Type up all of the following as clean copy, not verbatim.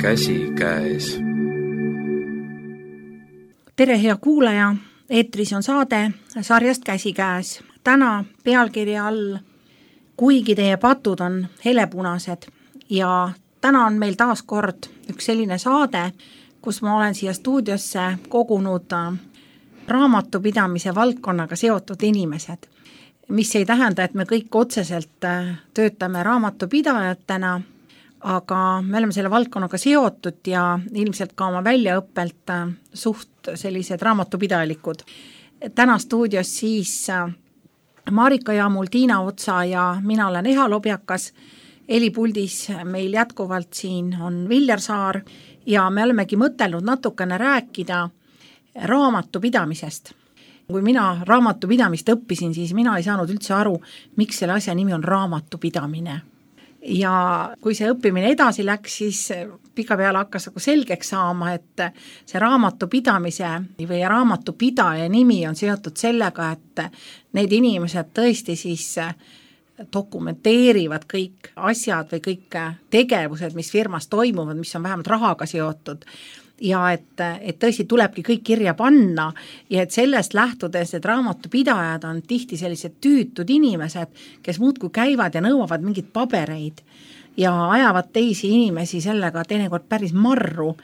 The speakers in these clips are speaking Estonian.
käsikäes. Tere, hea kuulaja! Eetris on saade sarjast Käsikäes. Täna pealkirja all Kuigi teie patud on helepunased ja täna on meil taas kord üks selline saade, kus ma olen siia stuudiosse kogunud raamatupidamise valdkonnaga seotud inimesed, mis ei tähenda, et me kõik otseselt töötame raamatupidajatena, aga me oleme selle valdkonnaga seotud ja ilmselt ka oma väljaõppelt suht sellised raamatupidajalikud. Täna stuudios siis Marika Jaamul, Tiina Otsa ja mina olen Eha Lobjakas. Helipuldis meil jätkuvalt siin on Viljar Saar ja me olemegi mõtelnud natukene rääkida raamatupidamisest. Kui mina raamatupidamist õppisin, siis mina ei saanud üldse aru, miks selle asja nimi on raamatupidamine. Ja kui see õppimine edasi läks, siis pikapeale hakkas selgeks saama, et see raamatupidamise või raamatupidaja nimi on seotud sellega, et need inimesed tõesti siis dokumenteerivad kõik asjad või kõik tegevused, mis firmas toimuvad, mis on vähemalt rahaga seotud. Ja et tõesti tulebki kõik kirja panna ja et sellest lähtudes, et raamatupidajad on tihti sellised tüütud inimesed, kes muudkui käivad ja nõuavad mingid pabereid ja ajavad teisi inimesi sellega teinekord päris marru,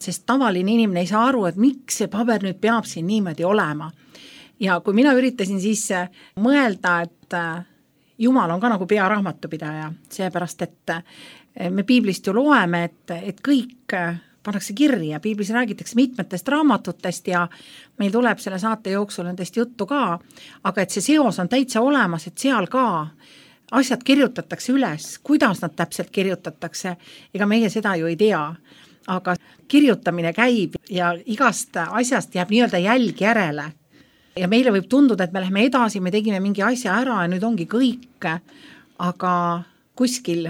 sest tavaline inimene ei saa aru, et miks see paber nüüd peab siin niimoodi olema. Ja kui mina üritasin siis mõelda, et Jumal on ka nagu pearaamatupidaja, seepärast, et me piiblist ju loeme, et kõik pannakse kirja, piiblis räägitakse mitmetest raamatutest ja meil tuleb selle saate jooksul nendest juttu ka, aga et see seos on täitsa olemas, et seal ka asjad kirjutatakse üles, kuidas nad täpselt kirjutatakse, ega meie seda ju ei tea, aga kirjutamine käib ja igast asjast jääb nii-öelda jälg järele ja meile võib tunduda, et me läheme edasi, me tegime mingi asja ära ja nüüd ongi kõik, aga kuskil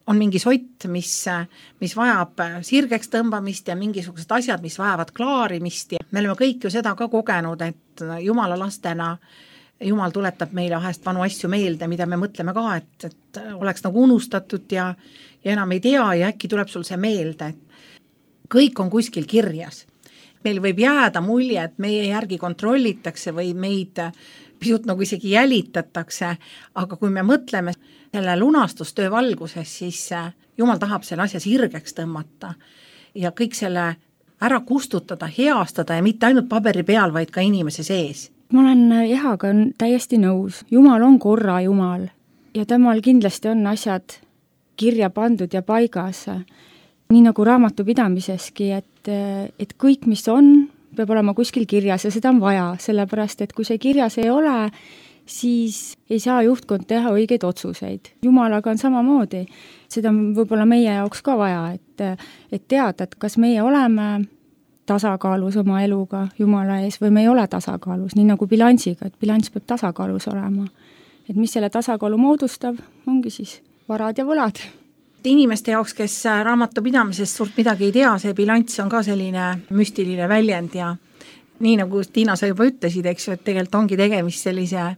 on mingi sott, mis vajab sirgeks tõmbamist ja mingisugused asjad, mis vajavad klaarimist ja me oleme kõik ju seda ka kogenud, et Jumala lastena Jumal tuletab meile vahest vanu asju meelde, mida me mõtleme ka, et oleks nagu unustatud ja enam ei tea ja äkki tuleb sul see meelde, et kõik on kuskil kirjas. Meil võib jääda mulje, et meie järgi kontrollitakse või meid pisut nagu isegi jälitatakse, aga kui me mõtleme selle lunastustöö valguses, siis Jumal tahab selle asja sirgeks tõmmata ja kõik selle ära kustutada, heastada ja mitte ainult paberi peal, vaid ka inimese sees. Ma olen Ehaga täiesti nõus. Jumal on korra Jumal ja temal kindlasti on asjad kirja pandud ja paigas. Nii nagu raamatupidamiseski, et kõik, mis on, peab olema kuskil kirjas ja seda on vaja, sellepärast, et kui see kirjas ei ole, siis ei saa juhtkond teha õigeid otsuseid. Jumalaga on samamoodi. Seda on võib-olla meie jaoks ka vaja, et teada, et kas meie oleme tasakaalus oma eluga Jumala ees või me ei ole tasakaalus, nii nagu bilansiga, et bilanss peab tasakaalus olema. Et mis selle tasakaalu moodustab, ongi siis varad ja võlad. Inimeste jaoks, kes raamatupidamisest suurt midagi ei tea, see bilanss on ka selline müstiline väljend ja nii nagu Tiina sa juba ütlesid, eks ju, et tegelikult ongi tegemist sellise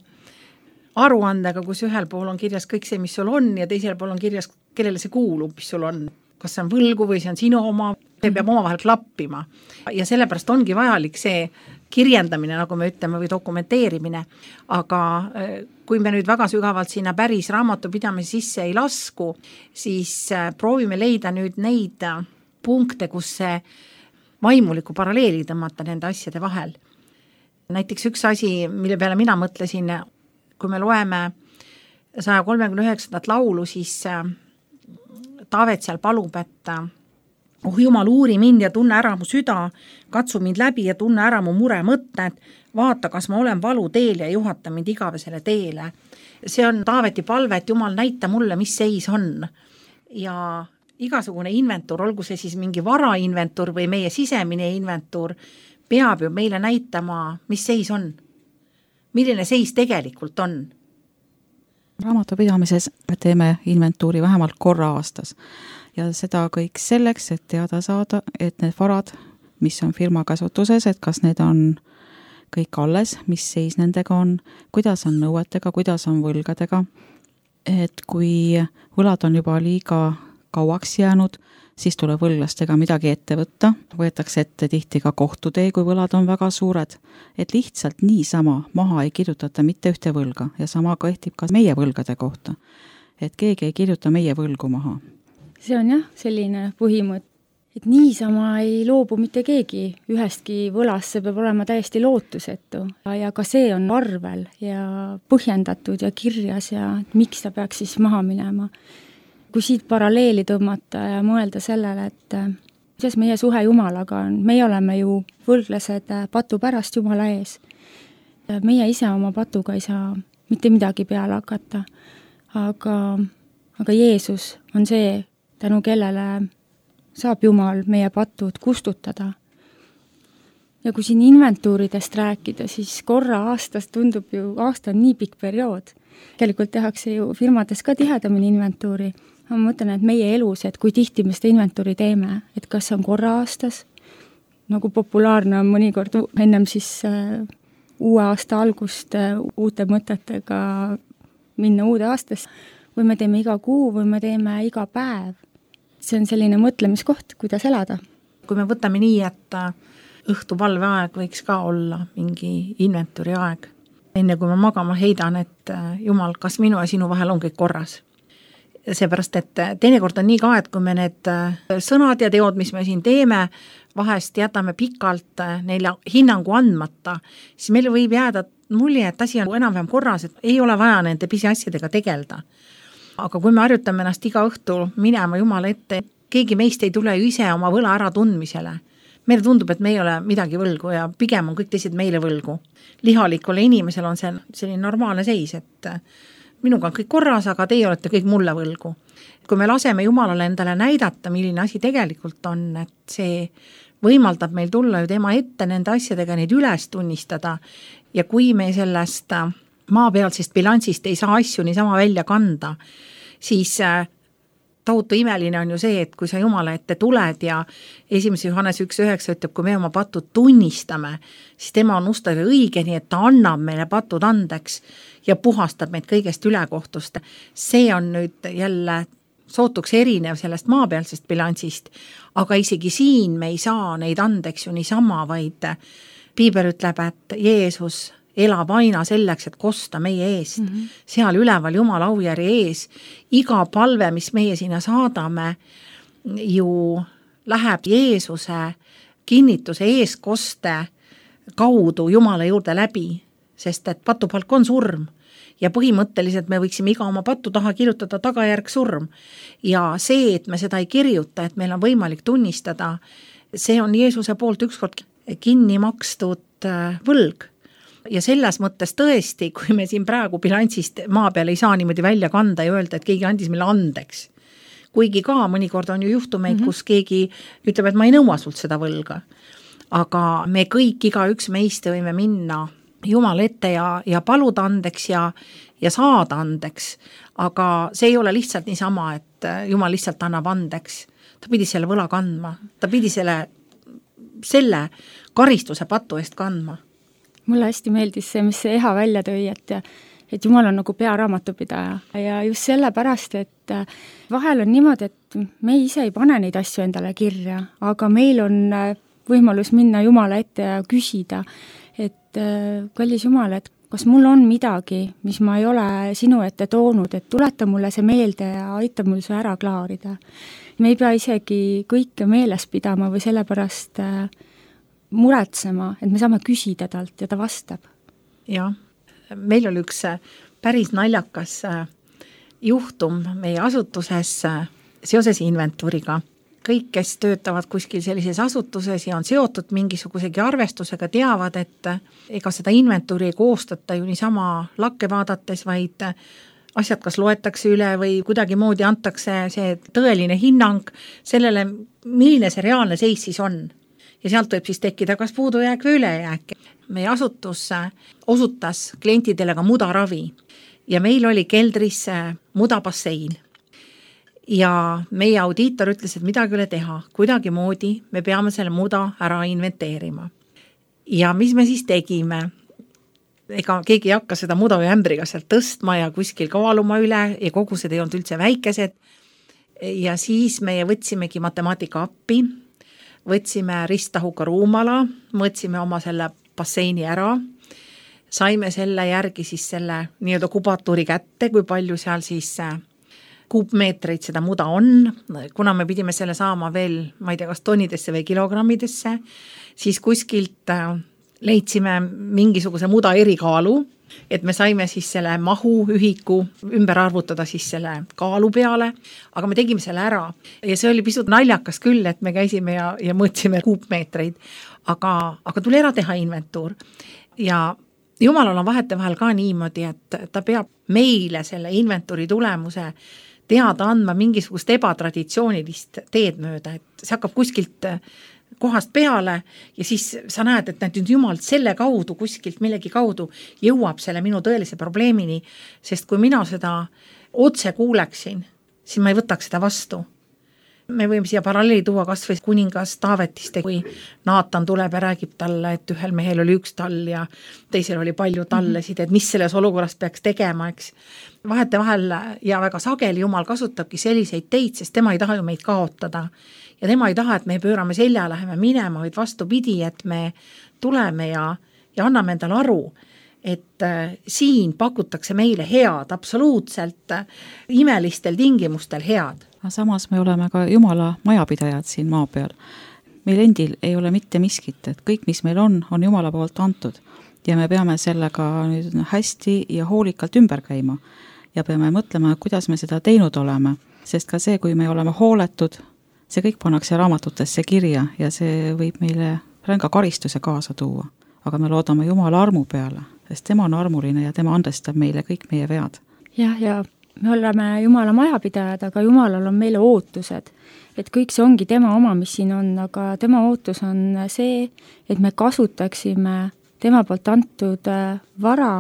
aruandega, kus ühel pool on kirjas kõik see, mis sul on ja teisel pool on kirjas, kellele see kuulub, mis sul on. Kas see on võlgu või see on sinu oma, see peab omavahel klappima. Ja sellepärast ongi vajalik see kirjendamine, nagu me ütleme, või dokumenteerimine. Aga kui me nüüd väga sügavalt sinna päris raamatupidamise sisse ei lasku, siis proovime leida nüüd neid punkte, kus see vaimuliku paralleeli tõmmata nende asjade vahel. Näiteks üks asi, mille peale mina mõtlesin, kui me loeme 139. laulu, siis Taavet seal palub, et Jumal, uuri mind ja tunne ära mu süda, katsu mind läbi ja tunne ära mu mure mõtted, vaata, kas ma olen valu teel ja juhata mind igavesele teele. See on Taaveti palve, et Jumal näita mulle, mis seis on. Ja igasugune inventuur, olgu see siis mingi varainventuur või meie sisemine inventuur, peab ju meile näitama, mis seis on. Milline seis tegelikult on. Raamatupidamises teeme inventuuri vähemalt korra aastas ja seda kõik selleks, et teada saada, et need varad, mis on firma käsutuses, et kas need on kõik alles, mis seis nendega on, kuidas on nõuetega, kuidas on võlgadega, et kui võlad on juba liiga kauaks jäänud, siis tuleb võlglastega midagi ette võtta, võetakse ette tihti ka kohtutee, kui võlad on väga suured, et lihtsalt niisama maha ei kirjutata mitte ühte võlga ja sama kehtib ka meie võlgade kohta, et keegi ei kirjuta meie võlgu maha. See on jah, selline põhimõte, et niisama ei loobu mitte keegi ühestki võlast, see peab olema täiesti lootusetu ja ka see on arvel ja põhjendatud ja kirjas ja miks ta peaks siis maha minema. Kui siit paralleeli tõmmata ja mõelda sellele, et kuidas meie suhe Jumalaga on, meie oleme ju võlglased patu pärast Jumala ees. Meie ise oma patuga ei saa mitte midagi peale hakata, aga Jeesus on see, tänu kellele saab Jumal meie patud kustutada. Ja kui siin inventuuridest rääkida, siis korra aastas tundub ju, aasta on nii pikk periood. Tegelikult tehakse ju firmades ka tihedamini inventuuri. Ma mõtlen, et meie elus, et kui tihti me seda inventuuri teeme, et kas on korra aastas, nagu populaarne on mõnikord ennem siis uue aasta algust uute mõtetega minna uude aastasse, või me teeme iga kuu või me teeme iga päev. See on selline mõtlemiskoht, kuidas elada. Kui me võtame nii, et õhtupalveaeg võiks ka olla mingi inventuuri aeg. Enne kui ma magama heidan, et Jumal, kas minu ja sinu vahel on kõik korras. Seepärast, et teinekord on nii ka, et kui me need sõnad ja teod, mis me siin teeme, vahest jätame pikalt neile hinnangu andmata, siis meil võib jääda mulje, et asi on enam-vähem korras, et ei ole vaja nende pisiasjadega tegelda. Aga kui me harjutame ennast iga õhtul minema Jumala ette, keegi meist ei tule ju ise oma võla ära tundmisele. Meile tundub, et me ei ole midagi võlgu ja pigem on kõik teised meile võlgu. Lihalikule inimesel on see selline normaalne seis, et minuga on kõik korras, aga teie olete kõik mulle võlgu. Kui me laseme Jumalale endale näidata, milline asi tegelikult on, et see võimaldab meil tulla ju tema ette nende asjadega, neid üles tunnistada ja kui me sellest maapealsest bilansist ei saa asju niisama välja kanda, siis tohutu imeline on ju see, et kui sa Jumala ette tuled ja 1. Johannes 1.9 ütleb, kui me oma patud tunnistame, siis tema on ustave õige, nii et ta annab meile patud andeks ja puhastab meid kõigest ülekohtust. See on nüüd jälle sootuks erinev sellest maapealsest bilansist, aga isegi siin me ei saa neid andeks ju niisama, vaid Piibel ütleb, et Jeesus elab aina selleks, et kosta meie eest. Seal üleval Jumala aujärje ees. Iga palve, mis meie sinna saadame, ju läheb Jeesuse kinnituse eeskoste kaudu Jumala juurde läbi, sest et patupalk on surm. Ja põhimõtteliselt me võiksime iga oma patu taha kirjutada tagajärg surm. Ja see, et me seda ei kirjuta, et meil on võimalik tunnistada, see on Jeesuse poolt ükskord kinni makstud võlg. Ja selles mõttes tõesti, kui me siin praegu bilansist maa peal ei saa niimoodi välja kanda ja öelda, et keegi andis meile andeks. Kuigi ka mõnikord on ju juhtumeid, kus keegi ütleb, et ma ei nõua sult seda võlga. Aga me kõik, igaüks meist võime minna Jumal ette ja paluda andeks ja saada andeks. Aga see ei ole lihtsalt niisama, et Jumal lihtsalt annab andeks. Ta pidi selle võla kandma. Ta pidi selle karistuse patu eest kandma. Mulle hästi meeldis see, mis see Eha välja tõi, et Jumal on nagu pearaamatupidaja ja just sellepärast, et vahel on niimoodi, et me ise ei pane neid asju endale kirja, aga meil on võimalus minna Jumala ette ja küsida, et kallis Jumal, et kas mul on midagi, mis ma ei ole sinu ette toonud, et tuleta mulle see meelde ja aita mul see ära klaarida. Me ei pea isegi kõike meeles pidama või sellepärast muretsema, et me saame küsida talt ja ta vastab. Jah, meil oli üks päris naljakas juhtum meie asutuses seoses inventuuriga. Kõik, kes töötavad kuskil sellises asutuses ja on seotud mingisugusegi arvestusega, teavad, et ega seda inventuuri ei koostata ju niisama lakke vaadates, vaid asjad kas loetakse üle või kuidagi moodi antakse see tõeline hinnang sellele, milline see reaalne seis siis on. Ja sealt võib siis tekkida kas puudujääk või ülejääk. Meie asutus osutas klientidele ka mudaravi ja meil oli keldris mudabassein. Ja meie audiitor ütles, et midagi üle teha, kuidagi moodi me peame selle muda ära inventeerima. Ja mis me siis tegime? Ega keegi ei hakka seda muda või ämbriga sealt tõstma ja kuskil kaaluma üle ja kogused ei olnud üldse väikesed. ja siis me võtsimegi matemaatika appi, võtsime risttahuka ruumala, võtsime oma selle basseini ära, saime selle järgi siis selle nii-öelda kubatuuri kätte, kui palju seal siis kuupmeetreid seda muda on, kuna me pidime selle saama veel, ma ei tea, kas tonnidesse või kilogrammidesse, siis kuskilt leidsime mingisuguse muda erikaalu, et me saime siis selle mahu ühiku ümber arvutada siis selle kaalu peale, aga me tegime selle ära ja see oli pisut naljakas küll, et me käisime ja mõõtsime kuupmeetreid, aga tuli ära teha inventuur ja Jumalal on vahetevahel ka niimoodi, et ta peab meile selle inventuuri tulemuse teada andma mingisugust ebatraditsioonilist teed mööda, et see hakkab kuskilt kohast peale ja siis sa näed, et nüüd Jumal selle kaudu, kuskilt millegi kaudu jõuab selle minu tõelise probleemini, sest kui mina seda otse kuuleksin, siis ma ei võtaks seda vastu. Me võime siia paralleeli tuua kas või kuningas Taavetist, kui Naatan tuleb ja räägib talle, et ühel mehel oli üks tall ja teisel oli palju tallesid, et mis selles olukorras peaks tegema, eks. Vahetevahel ja väga sageli Jumal kasutabki selliseid teid, sest tema ei taha ju meid kaotada. Ja tema ei taha, et me pöörame selja, läheme minema, vaid vastupidi, et me tuleme ja anname endale aru, et siin pakutakse meile head, absoluutselt imelistel tingimustel head. Samas me oleme ka Jumala majapidajad siin maa peal. Meil endil ei ole mitte miskit, et kõik, mis meil on Jumala poolt antud ja me peame sellega nüüd hästi ja hoolikalt ümber käima ja peame mõtlema, kuidas me seda teinud oleme, sest ka see, kui me oleme hooletud, see kõik pannakse raamatutesse kirja ja see võib meile ränga karistuse kaasa tuua, aga me loodame Jumala armu peale, sest tema on armuline ja tema andestab meile kõik meie vead. Ja me oleme Jumala majapidajad, aga Jumalal on meile ootused, et kõik see ongi tema oma, mis siin on, aga tema ootus on see, et me kasutaksime tema poolt antud vara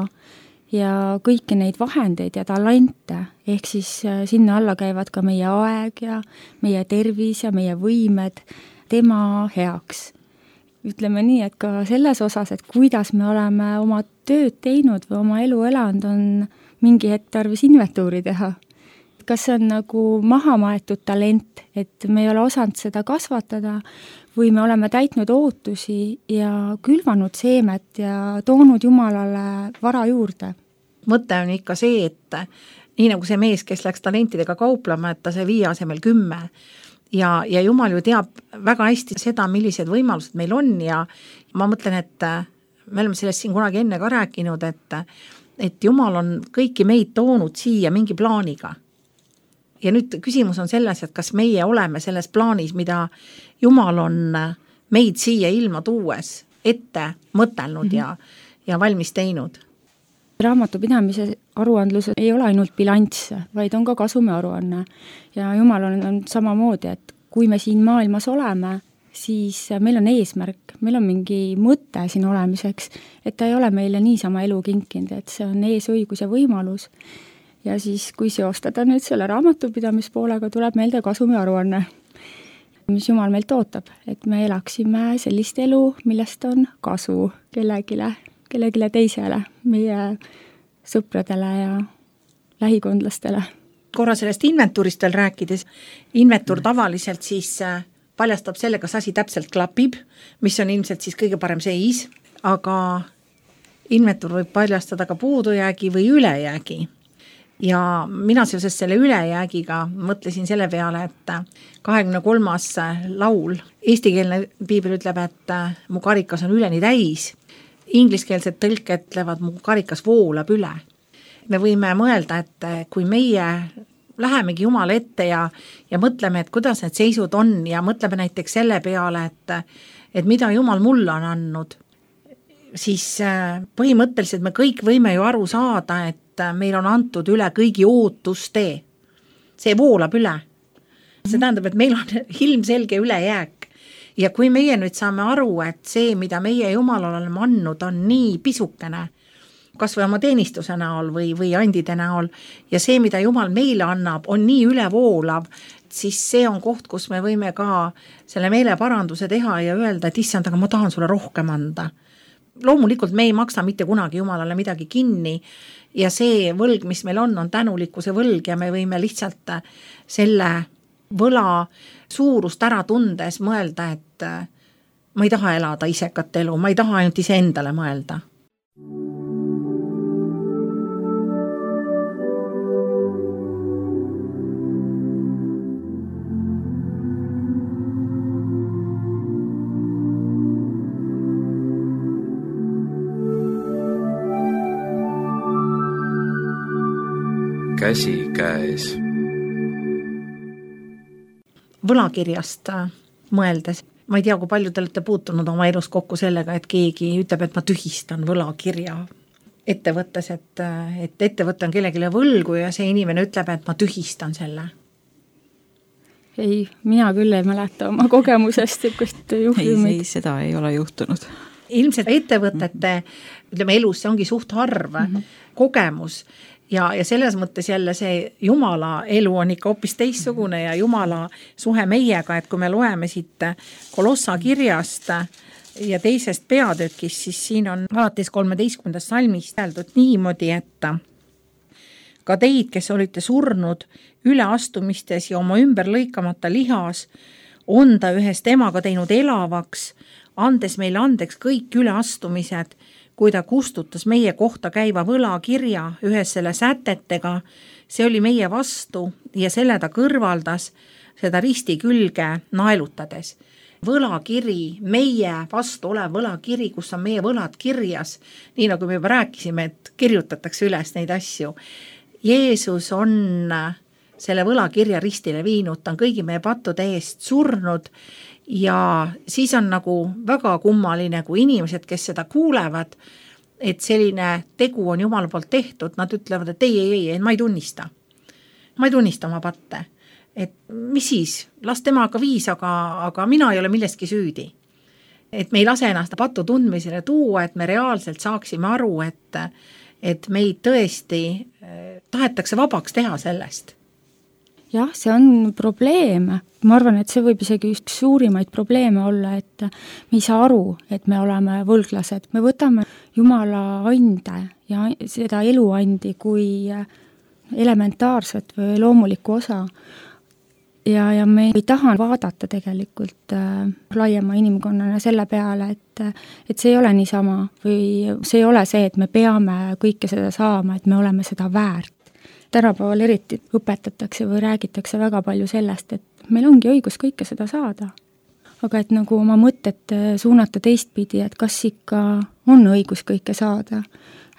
ja kõiki neid vahendeid ja talente, ehk siis sinna alla käivad ka meie aeg ja meie tervis ja meie võimed tema heaks. Ütleme nii, et ka selles osas, et kuidas me oleme oma tööd teinud või oma elu elanud, on mingi hetk tarvis inventuuri teha. Kas see on nagu maha maetud talent, et me ei ole osanud seda kasvatada või me oleme täitnud ootusi ja külvanud seemet ja toonud Jumalale vara juurde? Mõte on ikka see, et nii nagu see mees, kes läks talentidega kauplema, et ta see 5 asemel 10 ja Jumal ju teab väga hästi seda, millised võimalused meil on ja ma mõtlen, et me oleme sellest siin kunagi enne ka rääkinud, et Jumal on kõiki meid toonud siia mingi plaaniga. Ja nüüd küsimus on selles, et kas meie oleme selles plaanis, mida Jumal on meid siia ilma tuues ette mõtelnud ja valmis teinud. Raamatupidamise aruandlus ei ole ainult bilanss, vaid on ka kasumi aruanne. Ja Jumal on samamoodi, et kui me siin maailmas oleme, siis meil on eesmärk, meil on mingi mõte siin olemiseks, et ta ei ole meile niisama elu kinkinud, et see on eesõigus ja võimalus. Ja siis, kui seostada nüüd selle raamatupidamispoolega, tuleb meelde kasumi aruanne, mis Jumal meilt ootab, et me elaksime sellist elu, millest on kasu kellelegi teisele, meie sõpradele ja lähikondlastele. Korra sellest inventuurist veel rääkides, inventuur tavaliselt siis paljastab selle, kas asi täpselt klapib, mis on ilmselt siis kõige parem seis, aga inventuur võib paljastada ka puudujäägi või ülejäägi. Ja mina seoses selle ülejäägiga mõtlesin selle peale, et 23. laul, eestikeelne piibel ütleb, et mu karikas on üleni täis, ingliskeelsed tõlked ütlevad, mu karikas voolab üle. Me võime mõelda, et kui meie lähemegi Jumala ette ja mõtleme, et kuidas need seisud on ja mõtleme näiteks selle peale, et mida Jumal mulle on andnud, siis põhimõtteliselt me kõik võime ju aru saada, et meil on antud üle kõigi ootuste. See voolab üle. See tähendab, et meil on ilmselge ülejääk. Ja kui meie nüüd saame aru, et see, mida meie Jumalale oleme andnud, on nii pisukene, kas või oma teenistuse näol või andide näol, ja see, mida Jumal meile annab, on nii ülevoolav, siis see on koht, kus me võime ka selle meeleparanduse teha ja öelda, et issand, aga ma tahan sulle rohkem anda. Loomulikult me ei maksa mitte kunagi Jumalale midagi kinni ja see võlg, mis meil on tänulikkuse võlg ja me võime lihtsalt selle võla suurust ära tundes mõelda, et ma ei taha elada isekat elu, ma ei taha ainult iseendale mõelda. Käsi käes. Võlakirjast mõeldes, ma ei tea, kui palju te olete puutunud oma elus kokku sellega, et keegi ütleb, et ma tühistan võlakirja ettevõttes, et ettevõte on kellegile võlgu ja see inimene ütleb, et ma tühistan selle. Ei, mina küll ei mäleta oma kogemusest niisugust juhtumit. Ei, seda ei ole juhtunud. Ilmselt ettevõtete, ütleme elus, see ongi suht harv kogemus ja selles mõttes jälle see Jumala elu on ikka hoopis teistsugune ja Jumala suhe meiega, et kui me loeme siit Kolossa kirjast ja teisest peatükist, siis siin on alates 13. salmist öeldud niimoodi, et ka teid, kes olite surnud üleastumistes ja oma ümber lõikamata lihas, on ta ühest emaga teinud elavaks, andes meile andeks kõik üleastumised, kui ta kustutas meie kohta käiva võlakirja ühes selle sätetega, see oli meie vastu ja selle ta kõrvaldas seda risti külge naelutades. Võlakiri, meie vastu olev võlakiri, kus on meie võlad kirjas, nii nagu me juba rääkisime, et kirjutatakse üles neid asju. Jeesus on selle võlakirja ristile viinud, ta on kõigi meie pattude eest surnud ja siis on nagu väga kummaline, kui inimesed, kes seda kuulevad, et selline tegu on Jumala poolt tehtud, nad ütlevad, et ei, ma ei tunnista. Ma ei tunnista oma patte. Et mis siis? Las temaga viis, aga mina ei ole millestki süüdi. Et me ei lase ennast patu tundmisele tuua, et me reaalselt saaksime aru, et meid tõesti tahetakse vabaks teha sellest. Jah, see on probleem. Ma arvan, et see võib isegi just suurimaid probleeme olla, et me ei saa aru, et me oleme võlglased. Me võtame Jumala ande ja seda eluandi kui elementaarset või loomulikku osa. Ja me ei taha vaadata tegelikult laiema inimkonnana selle peale, et see ei ole niisama või see ei ole see, et me peame kõike seda saama, et me oleme seda väärt. Tänapäeval eriti õpetatakse või räägitakse väga palju sellest, et meil ongi õigus kõike seda saada. Aga et nagu oma mõtet suunata teistpidi, et kas ikka on õigus kõike saada,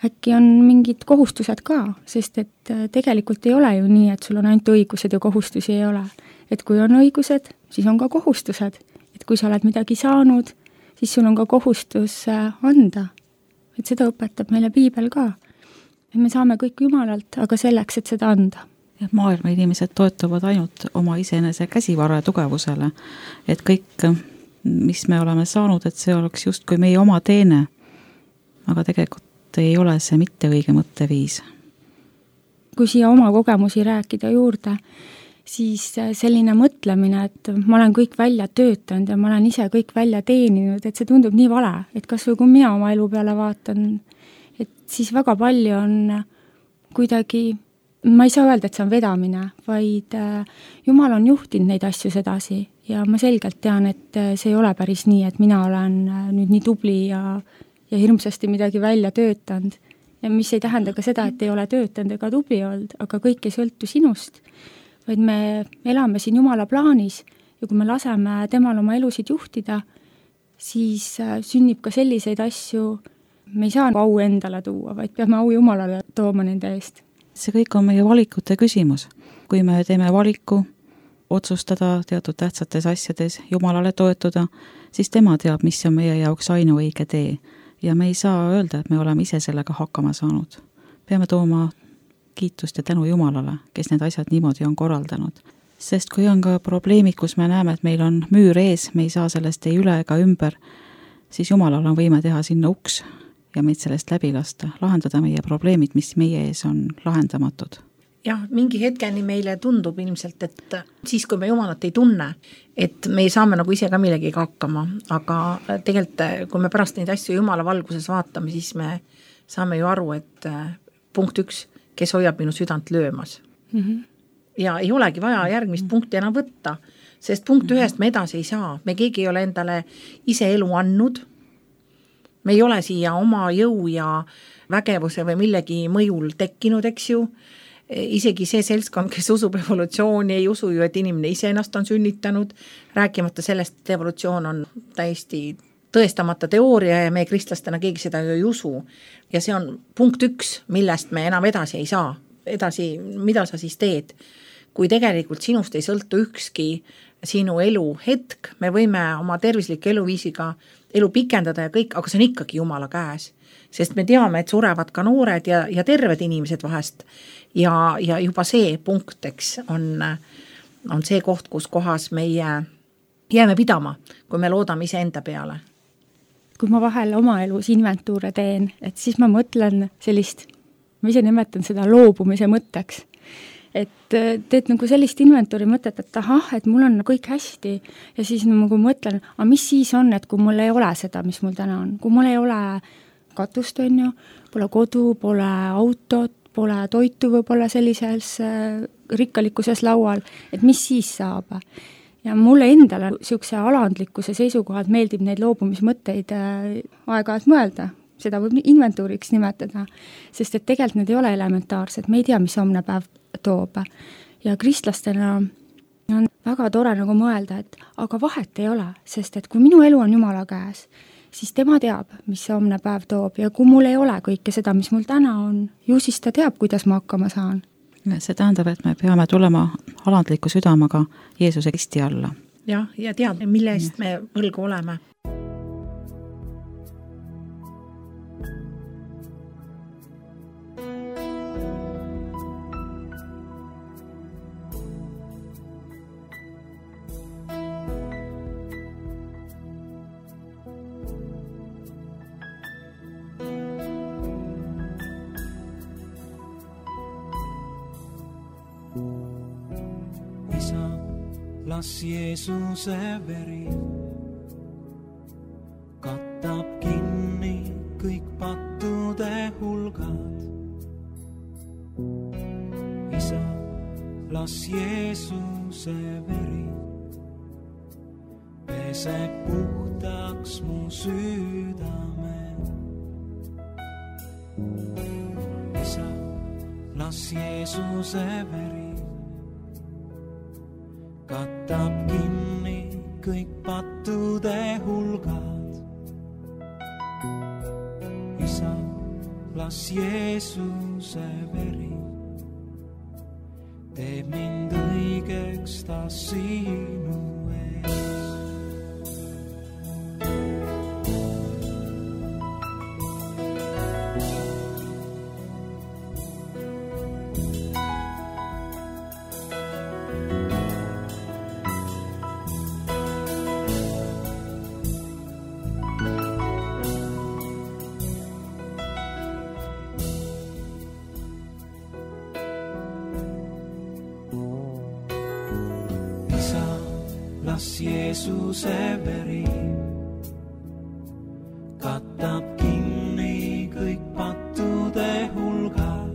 äkki on mingid kohustused ka, sest et tegelikult ei ole ju nii, et sul on ainult õigused ja kohustusi ei ole. Et kui on õigused, siis on ka kohustused. Et kui sa oled midagi saanud, siis sul on ka kohustus anda. Et seda õpetab meile piibel ka. Me saame kõik Jumalalt, aga selleks, et seda anda. Ja maailma inimesed toetuvad ainult oma iseenese käsivara tugevusele, et kõik, mis me oleme saanud, et see oleks just kui meie oma teene, aga tegelikult ei ole see mitte õige mõtteviis. Kui siia oma kogemusi rääkida juurde, siis selline mõtlemine, et ma olen kõik välja töötanud ja ma olen ise kõik välja teeninud, et see tundub nii vale, et kas või kui mina oma elu peale vaatan, et siis väga palju on kuidagi, ma ei saa öelda, et see on vedamine, vaid Jumal on juhtinud neid asju sedasi ja ma selgelt tean, et see ei ole päris nii, et mina olen nüüd nii tubli ja hirmsasti midagi välja töötanud. Ja mis ei tähenda ka seda, et ei ole töötanud ega tubli olnud, aga kõik ei sõltu sinust, vaid me elame siin Jumala plaanis ja kui me laseme temal oma elusid juhtida, siis sünnib ka selliseid asju, me ei saa au endale tuua, vaid peame au Jumalale tooma nende eest. See kõik on meie valikute küsimus. Kui me teeme valiku otsustada teatud tähtsates asjades, Jumalale toetuda, siis tema teab, mis on meie jaoks ainuõige tee. Ja me ei saa öelda, et me oleme ise sellega hakkama saanud. Peame tooma kiitust ja tänu Jumalale, kes need asjad niimoodi on korraldanud. Sest kui on ka probleemid, kus me näeme, et meil on müür ees, me ei saa sellest ei üle ega ümber, siis Jumalal on võime teha sinna uks ja meid sellest läbi lasta, lahendada meie probleemid, mis meie ees on lahendamatud. Jah, mingi hetkeni meile tundub ilmselt, et siis, kui me Jumalat ei tunne, et me saame nagu ise ka millegiga hakkama, aga tegelikult, kui me pärast neid asju Jumala valguses vaatame, siis me saame ju aru, et punkt 1, kes hoiab minu südant löömas. ja ei olegi vaja järgmist punkti enam võtta, sest punkt ühest me edasi ei saa, me keegi ei ole endale ise elu andnud, me ei ole siia oma jõu ja vägevuse või millegi mõjul tekkinud, eks ju, isegi see seltskond, kes usub evolutsiooni, ei usu ju, et inimene ise ennast on sünnitanud, rääkimata sellest, et evolutsioon on täiesti tõestamata teooria ja meie kristlastena keegi seda ju ei usu. Ja see on punkt 1, millest me enam edasi ei saa. Edasi, mida sa siis teed? Kui tegelikult sinust ei sõltu ükski sinu elu hetk, me võime oma tervisliku eluviisiga elu pikendada ja kõik, aga see on ikkagi Jumala käes. Sest me teame, et surevad ka noored ja terved inimesed vahest. Ja juba see punkt, eks, on see koht, kus kohas meie jääme pidama, kui me loodame ise enda peale. Kui ma vahel oma elus inventuure teen, et siis ma mõtlen sellist, ma ise nimetan seda loobumise mõtteks. Et teed nagu sellist inventuuri mõtet, et ahah, et mul on kõik hästi ja siis nagu mõtlen, aga mis siis on, et kui mul ei ole seda, mis mul täna on, kui mul ei ole katust, on ju, pole kodu, pole autot, pole toitu võib-olla sellises rikkalikkuses laual, et mis siis saab? Ja mulle endale siukse alandlikkuse seisukohalt meeldib neid loobumismõtteid aeg-ajalt mõelda, seda võib inventuuriks nimetada, sest et tegelikult need ei ole elementaarsed, me ei tea, mis homne päev toob. Ja kristlastena on väga tore nagu mõelda, et aga vahet ei ole, sest et kui minu elu on Jumala käes, siis tema teab, mis see homne päev toob ja kui mul ei ole kõike seda, mis mul täna on, ju siis ta teab, kuidas ma hakkama saan. See tähendab, et me peame tulema alandliku südamaga Jeesuse Kristi alla. Ja tead, mille eest me võlgu oleme. Las Jeesuse veri kattab kinni kõik pattude hulgad. Isa, las Jeesuse veri peseb puhtaks mu südame. Isa, las Jeesuse veri kattab kinni kõik pattude hulgad. Isa, las Jeesuse veri teeb mind õigeks ta sinu ees. Las Jeesuse veri kattab kinni kõik pattude hulgad.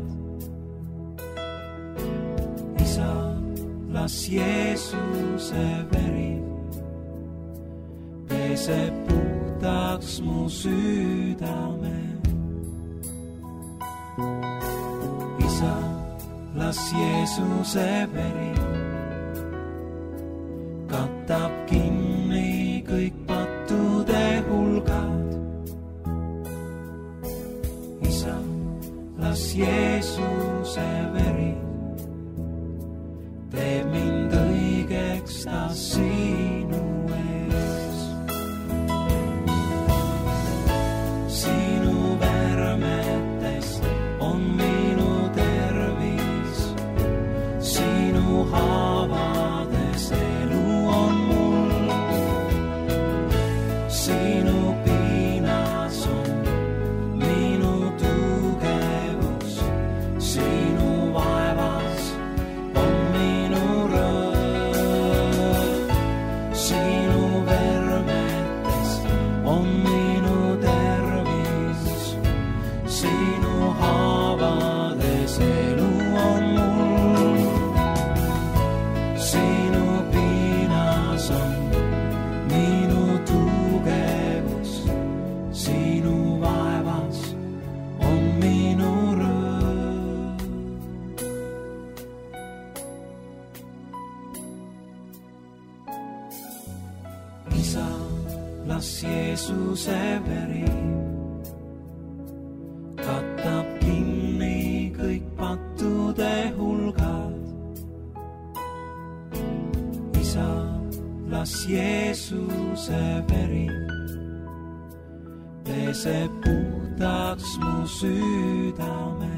Isa, las Jeesuse veri peseb puhtaks mu südame. Isa, las Jeesuse veri kattab kinni kõik pattude hulgad. Isa, las Jeesuse veri teeb mind õigeks ta sinu ees. Sinu vermetest on minu tervis, sinu Isa, las Jeesuse veri katab kinni kõik pattude hulgad. Isa, las Jeesuse veri peseb puhtaks mu südame.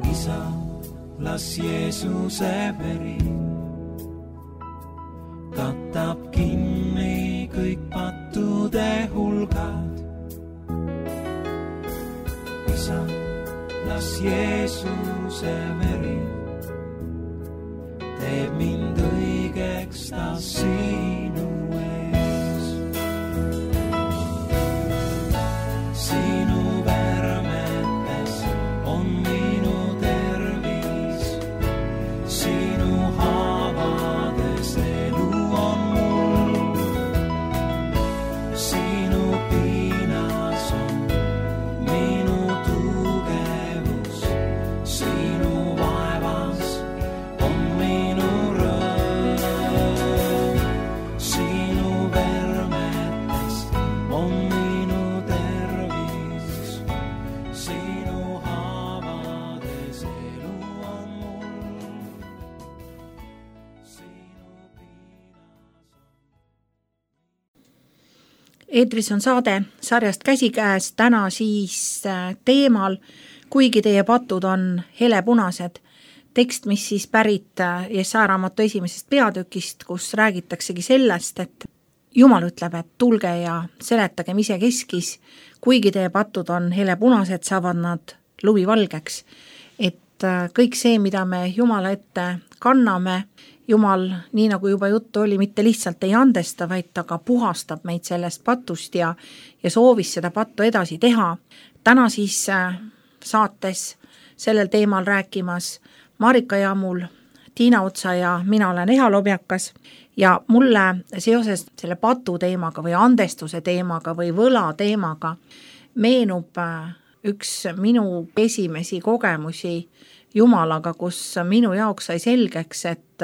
Isa, las Jeesuse veri katab kinni kõik pattude hulgad. Isa, las Jeesuse veri teeb mind õigeks ta sinu ees. Sinu värmetes on minu tervis, sinu haavades elu on mul. Sinu piinas on minu tugevus, sinu vaevas on minu rõõm. Sinu värmetes on minu tervis, sinu haavades elu on mul. Sinu piinas on. Eetris on saade sarjast Käsikäes, täna siis teemal Kuigi teie patud on helepunased. Tekst, mis siis pärit Jesaja raamatu 1. peatükist, kus räägitaksegi sellest, et Jumal ütleb, et tulge ja seletagem isekeskis, kuigi teie patud on helepunased, saavad nad lumivalgeks. Et kõik see, mida me Jumala ette kanname, Jumal, nii nagu juba juttu oli, mitte lihtsalt ei andesta, vaid ta ka puhastab meid sellest patust ja soovis seda pattu edasi teha. Täna siis saates sellel teemal rääkimas Marika Jaamul, Tiina Otsa ja mina olen Eha Lobjakas ja mulle seoses selle patu teemaga või andestuse teemaga või võla teemaga meenub üks minu esimesi kogemusi Jumalaga, kus minu jaoks sai selgeks, et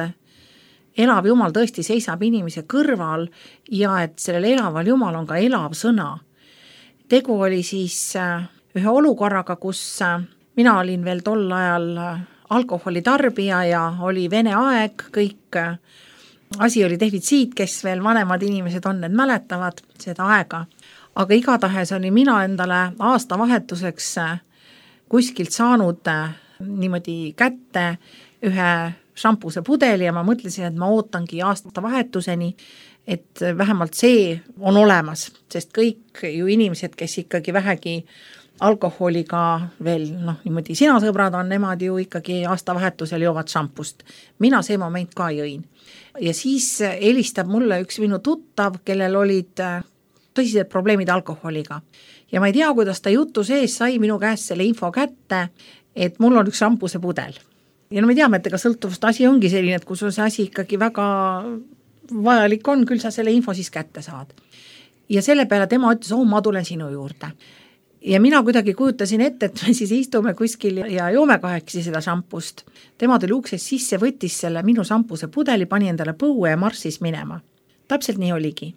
elav Jumal tõesti seisab inimese kõrval ja et sellel elaval Jumal on ka elav sõna. Tegu oli siis ühe olukorraga, kus mina olin veel tol ajal alkoholitarbija ja oli Vene aeg, kõik asi oli defitsiit, kes veel vanemad inimesed on, need mäletavad seda aega. Aga igatahes oli mina endale aastavahetuseks kuskilt saanud niimoodi kätte ühe šampuse pudeli ja ma mõtlesin, et ma ootangi aastavahetuseni, et vähemalt see on olemas, sest kõik ju inimesed, kes ikkagi vähegi alkoholiga veel, niimoodi sina sõbrad on, nemad ju ikkagi aastavahetusel joovad šampust. Mina see moment ka jõin. Ja siis helistab mulle üks minu tuttav, kellel olid tõsised probleemid alkoholiga. Ja ma ei tea, kuidas ta jutu sees sai minu käest selle info kätte, et mul on üks šampuse pudel. Ja me teame, et ega sõltuvust asi ongi selline, et kui sul see asi ikkagi väga vajalik on, küll sa selle info siis kätte saad. Ja selle peale tema ütles, ma tulen sinu juurde. Ja mina kuidagi kujutasin ette, et me siis istume kuskil ja joome kahekesi seda šampust. Tema tuli uksest sisse, võttis selle minu šampuse pudeli, pani endale põue ja marssis minema. Täpselt nii oligi.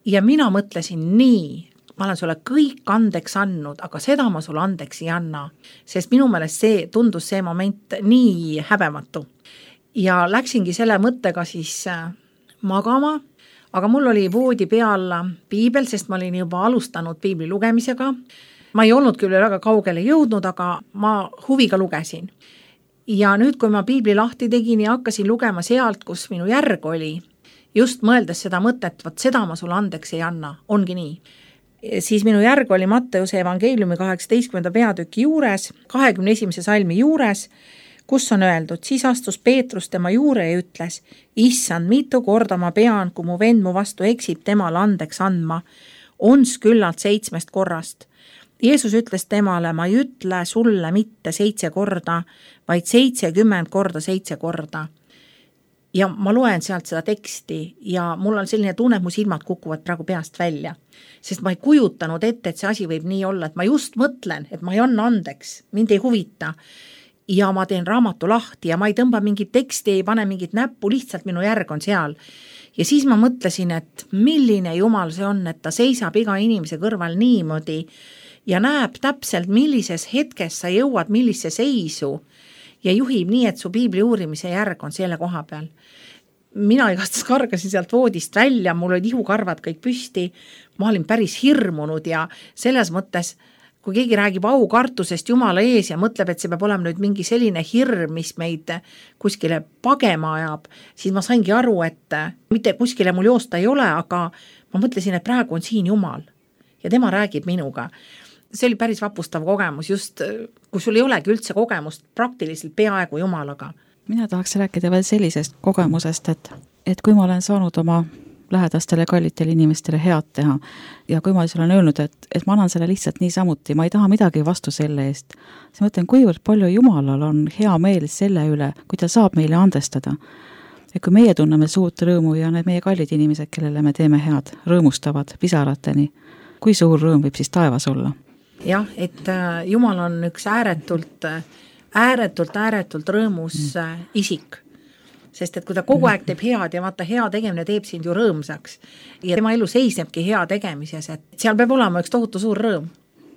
Ja mina mõtlesin nii, ma olen sulle kõik andeks andnud, aga seda ma sulle andeks ei anna, sest minu meelest see tundus see moment nii häbematu. Ja läksingi selle mõttega siis magama, aga mul oli voodi peal piibel, sest ma olin juba alustanud piibli lugemisega. Ma ei olnud küll väga kaugele jõudnud, aga ma huviga lugesin. Ja nüüd, kui ma piibli lahti tegin ja hakkasin lugema sealt, kus minu järg oli, just mõeldes seda mõtet, võt seda ma sulle andeks ei anna, ongi nii. Siis minu järg oli Matteuse evangeeliumi 18. peatüki juures, 21. salmi juures, kus on öeldud, siis astus Peetrus tema juure ja ütles, issand, mitu korda ma pean, kui mu vend mu vastu eksib, temale andeks andma, ons küllalt 7 korrast. Jeesus ütles temale, ma ei ütle sulle mitte 7 korda, vaid 70 korda 7 korda. Ja ma loen sealt seda teksti ja mul on selline tunne, et mu silmad kukuvad praegu peast välja. Sest ma ei kujutanud ette, et see asi võib nii olla, et ma just mõtlen, et ma ei anna andeks, mind ei huvita. ja ma teen raamatu lahti ja ma ei tõmba mingit teksti, ei pane mingit näppu, lihtsalt minu järg on seal. Ja siis ma mõtlesin, et milline jumal see on, et ta seisab iga inimese kõrval niimoodi ja näeb täpselt, millises hetkes sa jõuad, millise seisu ja juhib nii, et su piibli uurimise järg on selle koha peal. Mina igatahes kargasin sealt voodist välja, mul olid ihukarvad kõik püsti, ma olin päris hirmunud ja selles mõttes, kui keegi räägib aukartusest Jumala ees ja mõtleb, et see peab olema nüüd mingi selline hirm, mis meid kuskile pagema ajab, siis ma saingi aru, et mitte kuskile mul joosta ei ole, aga ma mõtlesin, et praegu on siin Jumal ja tema räägib minuga. See oli päris vapustav kogemus, just kui sul ei olegi üldse kogemust praktiliselt peaaegu Jumalaga. Mina tahaks rääkida veel sellisest kogemusest, et kui ma olen saanud oma lähedastele kallitele inimestele head teha ja kui ma olen öelnud, et ma annan selle lihtsalt niisamuti, ma ei taha midagi vastu selle eest, siis mõtlen, kuivõrd palju Jumalal on hea meel selle üle, kui ta saab meile andestada. Ja kui meie tunneme suurt rõõmu ja need meie kallid inimesed, kellele me teeme head, rõõmustavad pisarateni, kui suur rõõm võib siis taevas olla? Jah, et Jumal on üks ääretult rõõmus isik. Sest et kui ta kogu aeg teeb head ja vaata hea tegemine teeb sind ju rõõmsaks ja tema elu seisnebki hea tegemises, et seal peab olema üks tohutu suur rõõm.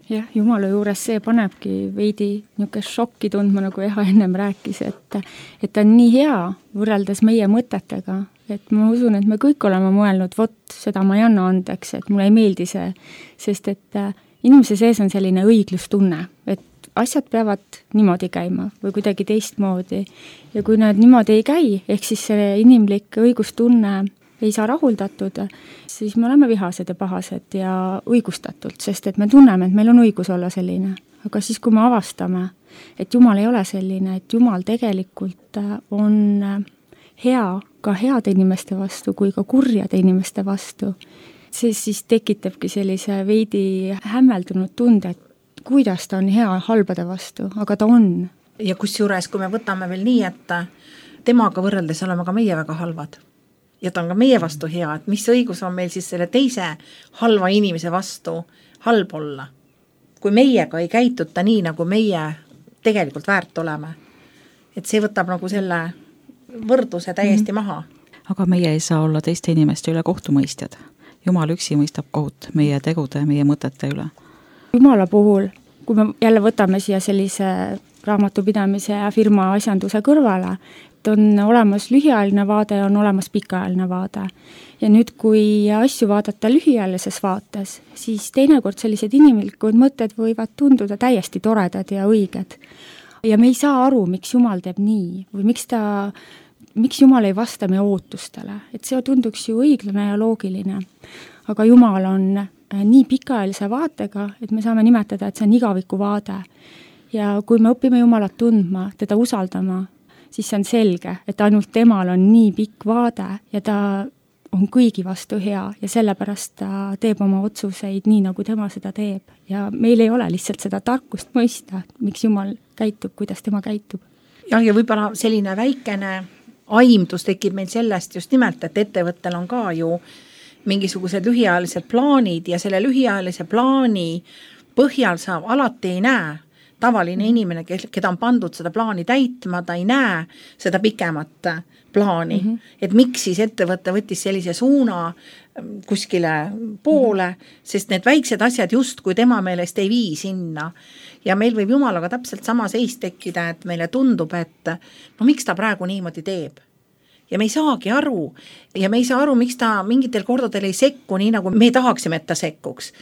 Jah, Jumala juures see panebki veidi niisugune šokki tundma, nagu Eha ennem rääkis, et ta on nii hea võrreldes meie mõtetega, et ma usun, et me kõik oleme mõelnud, vot seda ma ei anna andeks, et mulle ei meeldi see, sest et inimese sees on selline õiglustunne, et asjad peavad niimoodi käima või kuidagi teistmoodi ja kui nad niimoodi ei käi, ehk siis see inimlik õigustunne ei saa rahuldatud, siis me oleme vihased ja pahased ja õigustatult, sest et me tunneme, et meil on õigus olla selline. Aga siis, kui me avastame, et Jumal ei ole selline, et Jumal tegelikult on hea ka heade inimeste vastu kui ka kurjade inimeste vastu, siis tekitabki sellise veidi hämmeldunud tunde, et kuidas ta on hea halbade vastu, aga ta on. Ja kusjuures, kui me võtame veel nii, et temaga võrreldes oleme ka meie väga halvad ja ta on ka meie vastu hea, et mis õigus on meil siis selle teise halva inimese vastu halb olla. Kui meiega ei käituta nii, nagu meie tegelikult väärt oleme, et see võtab nagu selle võrdluse täiesti maha. Aga meie ei saa olla teiste inimeste üle kohtumõistjad. Jumal üksi mõistab kohut meie tegude ja meie mõtete üle. Jumala puhul, kui me jälle võtame siia sellise raamatupidamise ja firma asjanduse kõrvale, et on olemas lühiajaline vaade ja on olemas pikaajaline vaade. Ja nüüd, kui asju vaadata lühiajalises vaates, siis teinekord sellised inimlikud mõtted võivad tunduda täiesti toredad ja õiged. Ja me ei saa aru, miks Jumal teeb nii või miks Jumal ei vasta meie ootustele. Et see tunduks ju õiglane ja loogiline. Aga Jumal on nii pikaajalise vaatega, et me saame nimetada, et see on igaviku vaade. Ja kui me õpime Jumalat tundma, teda usaldama, siis see on selge, et ainult temal on nii pikk vaade ja ta on kõigi vastu hea ja sellepärast ta teeb oma otsuseid nii, nagu tema seda teeb. Ja meil ei ole lihtsalt seda tarkust mõista, miks Jumal käitub, kuidas tema käitub. Ja võib-olla selline väikene aimdus tekib meil sellest just nimelt, et ettevõttel on ka ju mingisugused lühiajalised plaanid ja selle lühiajalise plaani põhjal sa alati ei näe tavaline inimene, keda on pandud seda plaani täitma, ta ei näe seda pikemat plaani. Et miks siis ettevõte võttis sellise suuna kuskile poole, sest need väiksed asjad just kui tema meelest ei vii sinna. Ja meil võib Jumalaga täpselt sama seis tekkida, et meile tundub, et miks ta praegu niimoodi teeb. Ja me ei saagi aru ja me ei saa aru, miks ta mingitel kordadel ei sekku nii, nagu me tahaksime, et ta sekkuks.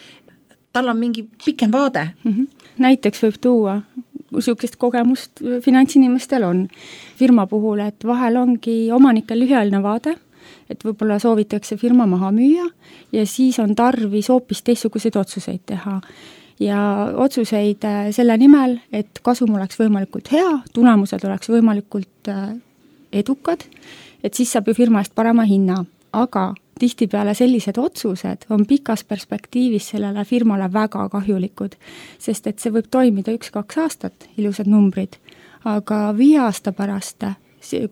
Tal on mingi pikem vaade. Näiteks võib tuua, niisugust kogemust finantsinimestel on firma puhul, et vahel ongi omanikel lühiajaline vaade, et võib-olla soovitakse firma maha müüa ja siis on tarvis hoopis teistsuguseid otsuseid teha. Ja otsuseid selle nimel, et kasum oleks võimalikult hea, tulemused oleks võimalikult edukad, et siis saab ju firma eest parema hinna, aga tihtipeale sellised otsused on pikas perspektiivis sellele firmale väga kahjulikud, sest et see võib toimida 1-2 aastat, ilusad numbrid, aga 5 aasta pärast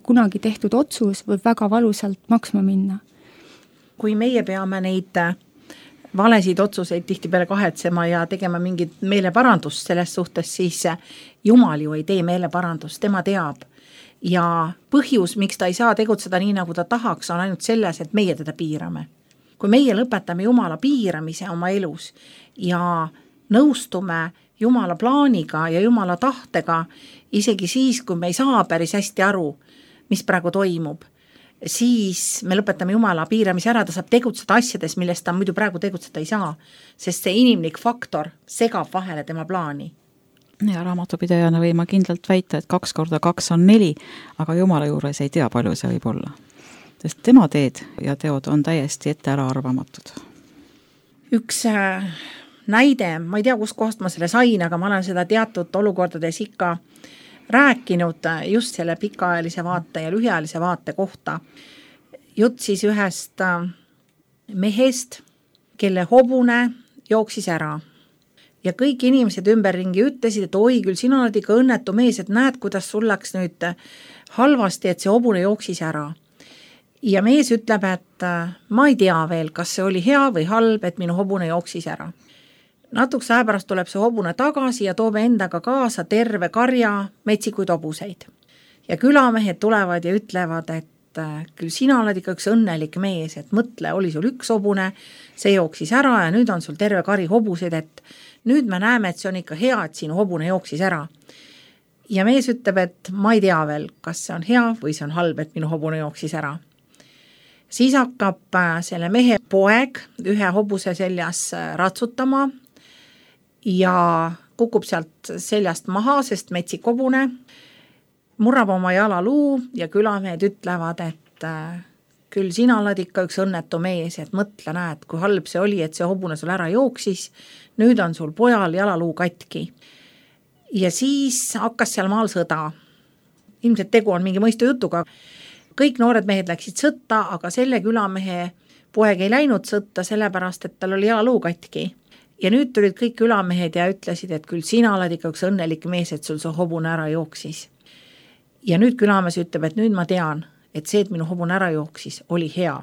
kunagi tehtud otsus võib väga valusalt maksma minna. Kui meie peame neid valesid otsuseid tihtipeale kahetsema ja tegema mingit meeleparandust selles suhtes, siis Jumal ju ei tee meeleparandust, tema teab. Ja põhjus, miks ta ei saa tegutseda nii, nagu ta tahaks, on ainult selles, et meie teda piirame. Kui meie lõpetame Jumala piiramise oma elus ja nõustume Jumala plaaniga ja Jumala tahtega, isegi siis, kui me ei saa päris hästi aru, mis praegu toimub, siis me lõpetame Jumala piiramise ära, ta saab tegutseda asjades, millest ta muidu praegu tegutseda ei saa, sest see inimlik faktor segab vahele tema plaani. Ja raamatupidajana võin ma kindlalt väita, et 2 × 2 on 4, aga Jumala juures ei tea, palju see võib olla. Sest tema teed ja teod on täiesti ette ära arvamatud. Üks näide, ma ei tea, kus kohast ma selle sain, aga ma olen seda teatud olukordades ikka rääkinud just selle pikaajalise vaate ja lühiajalise vaate kohta. Jutt siis ühest mehest, kelle hobune jooksis ära. Ja kõik inimesed ümberringi ütlesid, et oi, küll sina oled ikka õnnetu mees, et näed, kuidas sul läks nüüd halvasti, et see hobune jooksis ära. Ja mees ütleb, et ma ei tea veel, kas see oli hea või halb, et minu hobune jooksis ära. Natukese aja pärast tuleb see hobune tagasi ja toob endaga kaasa terve karja metsikuid hobuseid. Ja külamehed tulevad ja ütlevad, et küll sina oled ikka üks õnnelik mees, et mõtle, oli sul üks hobune, see jooksis ära ja nüüd on sul terve kari hobuseid, et nüüd me näeme, et see on ikka hea, et sinu hobune jooksis ära. Ja mees ütleb, et ma ei tea veel, kas see on hea või see on halb, et minu hobune jooksis ära. Siis hakkab selle mehe poeg ühe hobuse seljas ratsutama ja kukub sealt seljast maha, sest metsik hobune murrab oma jalaluu ja külamehed ütlevad, et küll sina oled ikka üks õnnetu mees, et mõtle, näed, kui halb see oli, et see hobune sul ära jooksis, nüüd on sul pojal jalaluu katki. Ja siis hakkas seal maal sõda. Ilmselt tegu on mingi mõistu jutuga. Kõik noored mehed läksid sõtta, aga selle külamehe poeg ei läinud sõtta, sellepärast, et tal oli jalaluu katki. Ja nüüd tulid kõik külamehed ja ütlesid, et küll sina oled ikka üks õnnelik mees, et sul see hobune ära jooksis. Ja nüüd külamees ütleb, et nüüd ma tean, et see, et minu hobune ära jooksis, oli hea.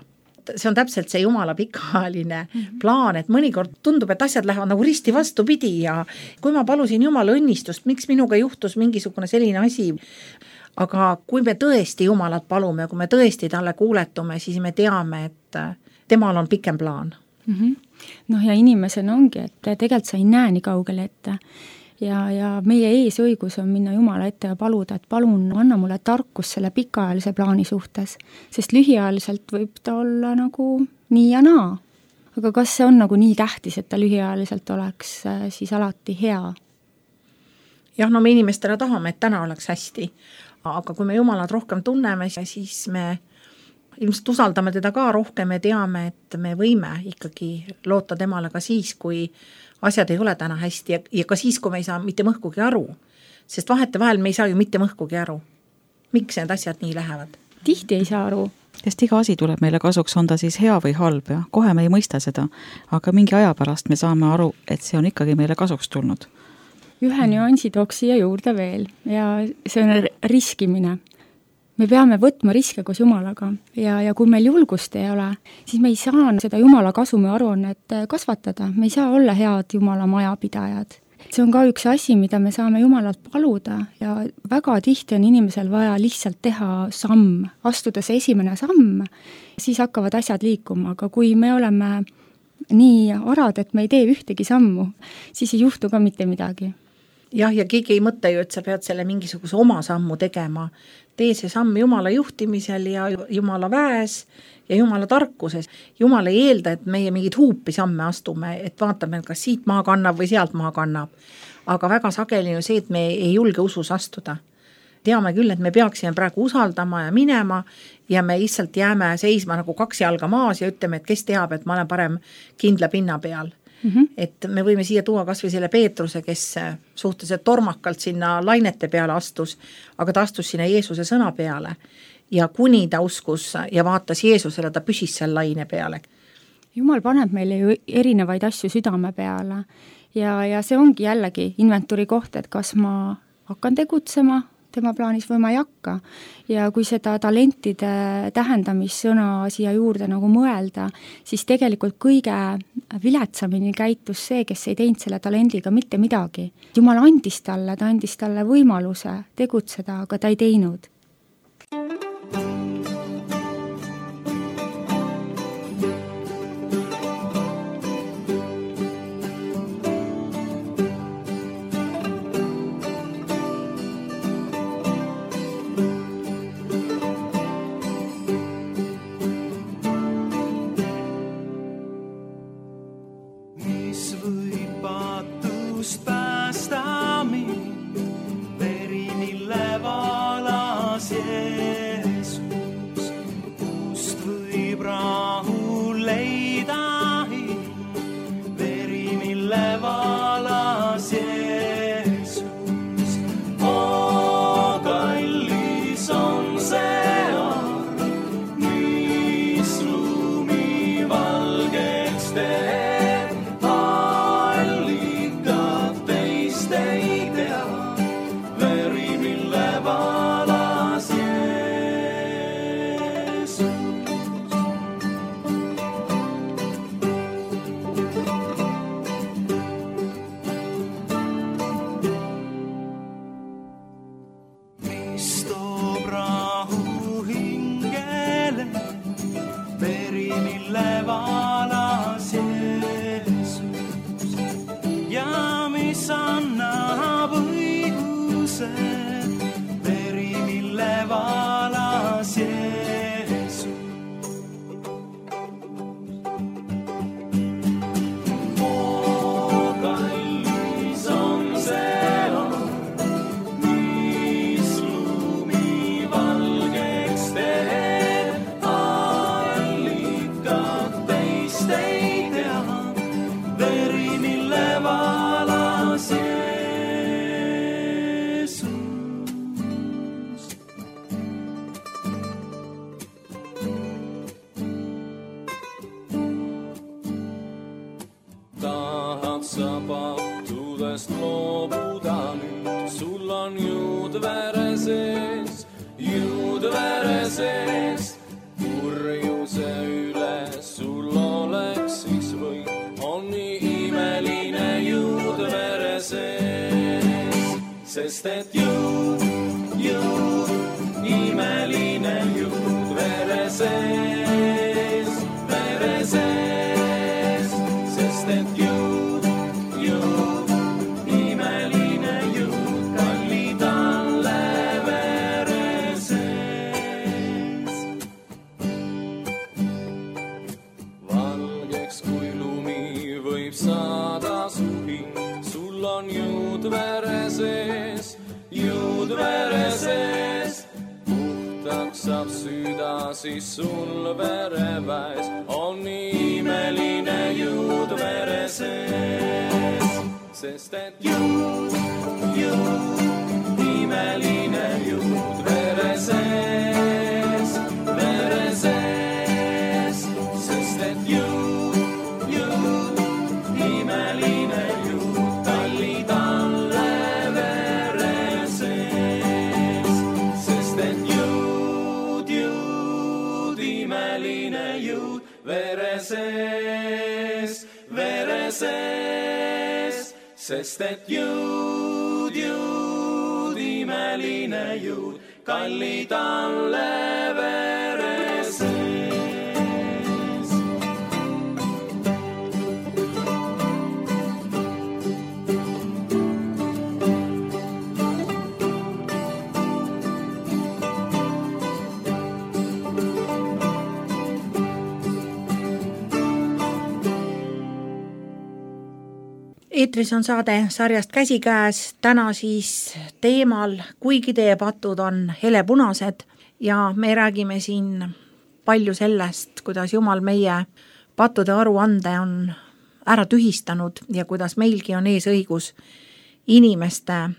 See on täpselt see Jumala pikaajaline plaan, et mõnikord tundub, et asjad lähevad nagu risti vastupidi ja kui ma palusin Jumala õnnistust, miks minuga juhtus mingisugune selline asi, aga kui me tõesti Jumalat palume, kui me tõesti talle kuuletume, siis me teame, et temal on pikem plaan. Noh, ja inimesena ongi, et tegelikult sa ei näe nii kaugele ette. Ja meie eesõigus on minna Jumala ette ja paluda, et palun anna mulle tarkus selle pikaajalise plaani suhtes, sest lühiajaliselt võib ta olla nagu nii ja naa. Aga kas see on nagu nii tähtis, et ta lühiajaliselt oleks siis alati hea? Jah, no me inimestele tahame, et täna oleks hästi, aga kui me Jumalat rohkem tunneme, siis me ilmselt usaldame teda ka rohkem ja teame, et me võime ikkagi loota temale ka siis, kui asjad ei ole täna hästi ja ka siis, kui me ei saa mitte mõhkugi aru, sest vahetevahel me ei saa ju mitte mõhkugi aru. Miks need asjad nii lähevad? Tihti ei saa aru. Sest iga asi tuleb meile kasuks, on ta siis hea või halb ja kohe me ei mõista seda, aga mingi aja pärast me saame aru, et see on ikkagi meile kasuks tulnud. Ühe nüansi tooks siia juurde veel ja see on riskimine. Me peame võtma riske koos Jumalaga ja kui meil julgust ei ole, siis me ei saa seda Jumala kasumi aruannet kasvatada, me ei saa olla head Jumala majapidajad. See on ka üks asi, mida me saame Jumalalt paluda ja väga tihti on inimesel vaja lihtsalt teha samm, astuda see esimene samm, siis hakkavad asjad liikuma, aga kui me oleme nii arad, et me ei tee ühtegi sammu, siis ei juhtu ka mitte midagi. Jah, ja keegi ei mõtle ju, et sa pead selle mingisuguse oma sammu tegema. Tee see samm Jumala juhtimisel ja Jumala väes ja Jumala tarkuses. Jumal ei eelda, et meie mingid huupi samme astume, et vaatame, kas siit maa kannab või sealt maa kannab. Aga väga sageli on see, et me ei julge usus astuda. Teame küll, et me peaksime praegu usaldama ja minema ja me lihtsalt jääme seisma nagu 2 jalga maas ja ütleme, et kes teab, et ma olen parem kindla pinna peal. Et me võime siia tuua kas või selle Peetruse, kes suhteliselt tormakalt sinna lainete peale astus, aga ta astus sinna Jeesuse sõna peale ja kuni ta uskus ja vaatas Jeesusele, ta püsis seal laine peale. Jumal paneb meile ju erinevaid asju südame peale ja see ongi jällegi inventuuri koht, et kas ma hakkan tegutsema tema plaanis võima ei hakka. Ja kui seda talentide tähendamissõna siia juurde nagu mõelda, siis tegelikult kõige viletsamini käitus see, kes ei teinud selle talendiga mitte midagi. Jumal andis talle võimaluse tegutseda, aga ta ei teinud. Sest et jõud, imeline jõud vere sees, sest et jõud, imeline jõud kallid alle vere sees. Valgeks kui lumi võib saada su hing, sul on jõud vere sees, puhtaks saab süda, siis sul vereväes on imeline jõud vere sees. Sest et jõud, imeline jõud vere sees, sest et jõud, imeline jõud kallid alle vere sees. Sest et jõud, imeline jõud vere sees, sest et jõud, imeline jõud kallid alle vere sees. Eetris on saade sarjast Käsikäes, täna siis teemal, kuigi teie patud on helepunased ja me räägime siin palju sellest, kuidas Jumal meie pattude aruande on ära tühistanud ja kuidas meilgi on ees õigus inimeste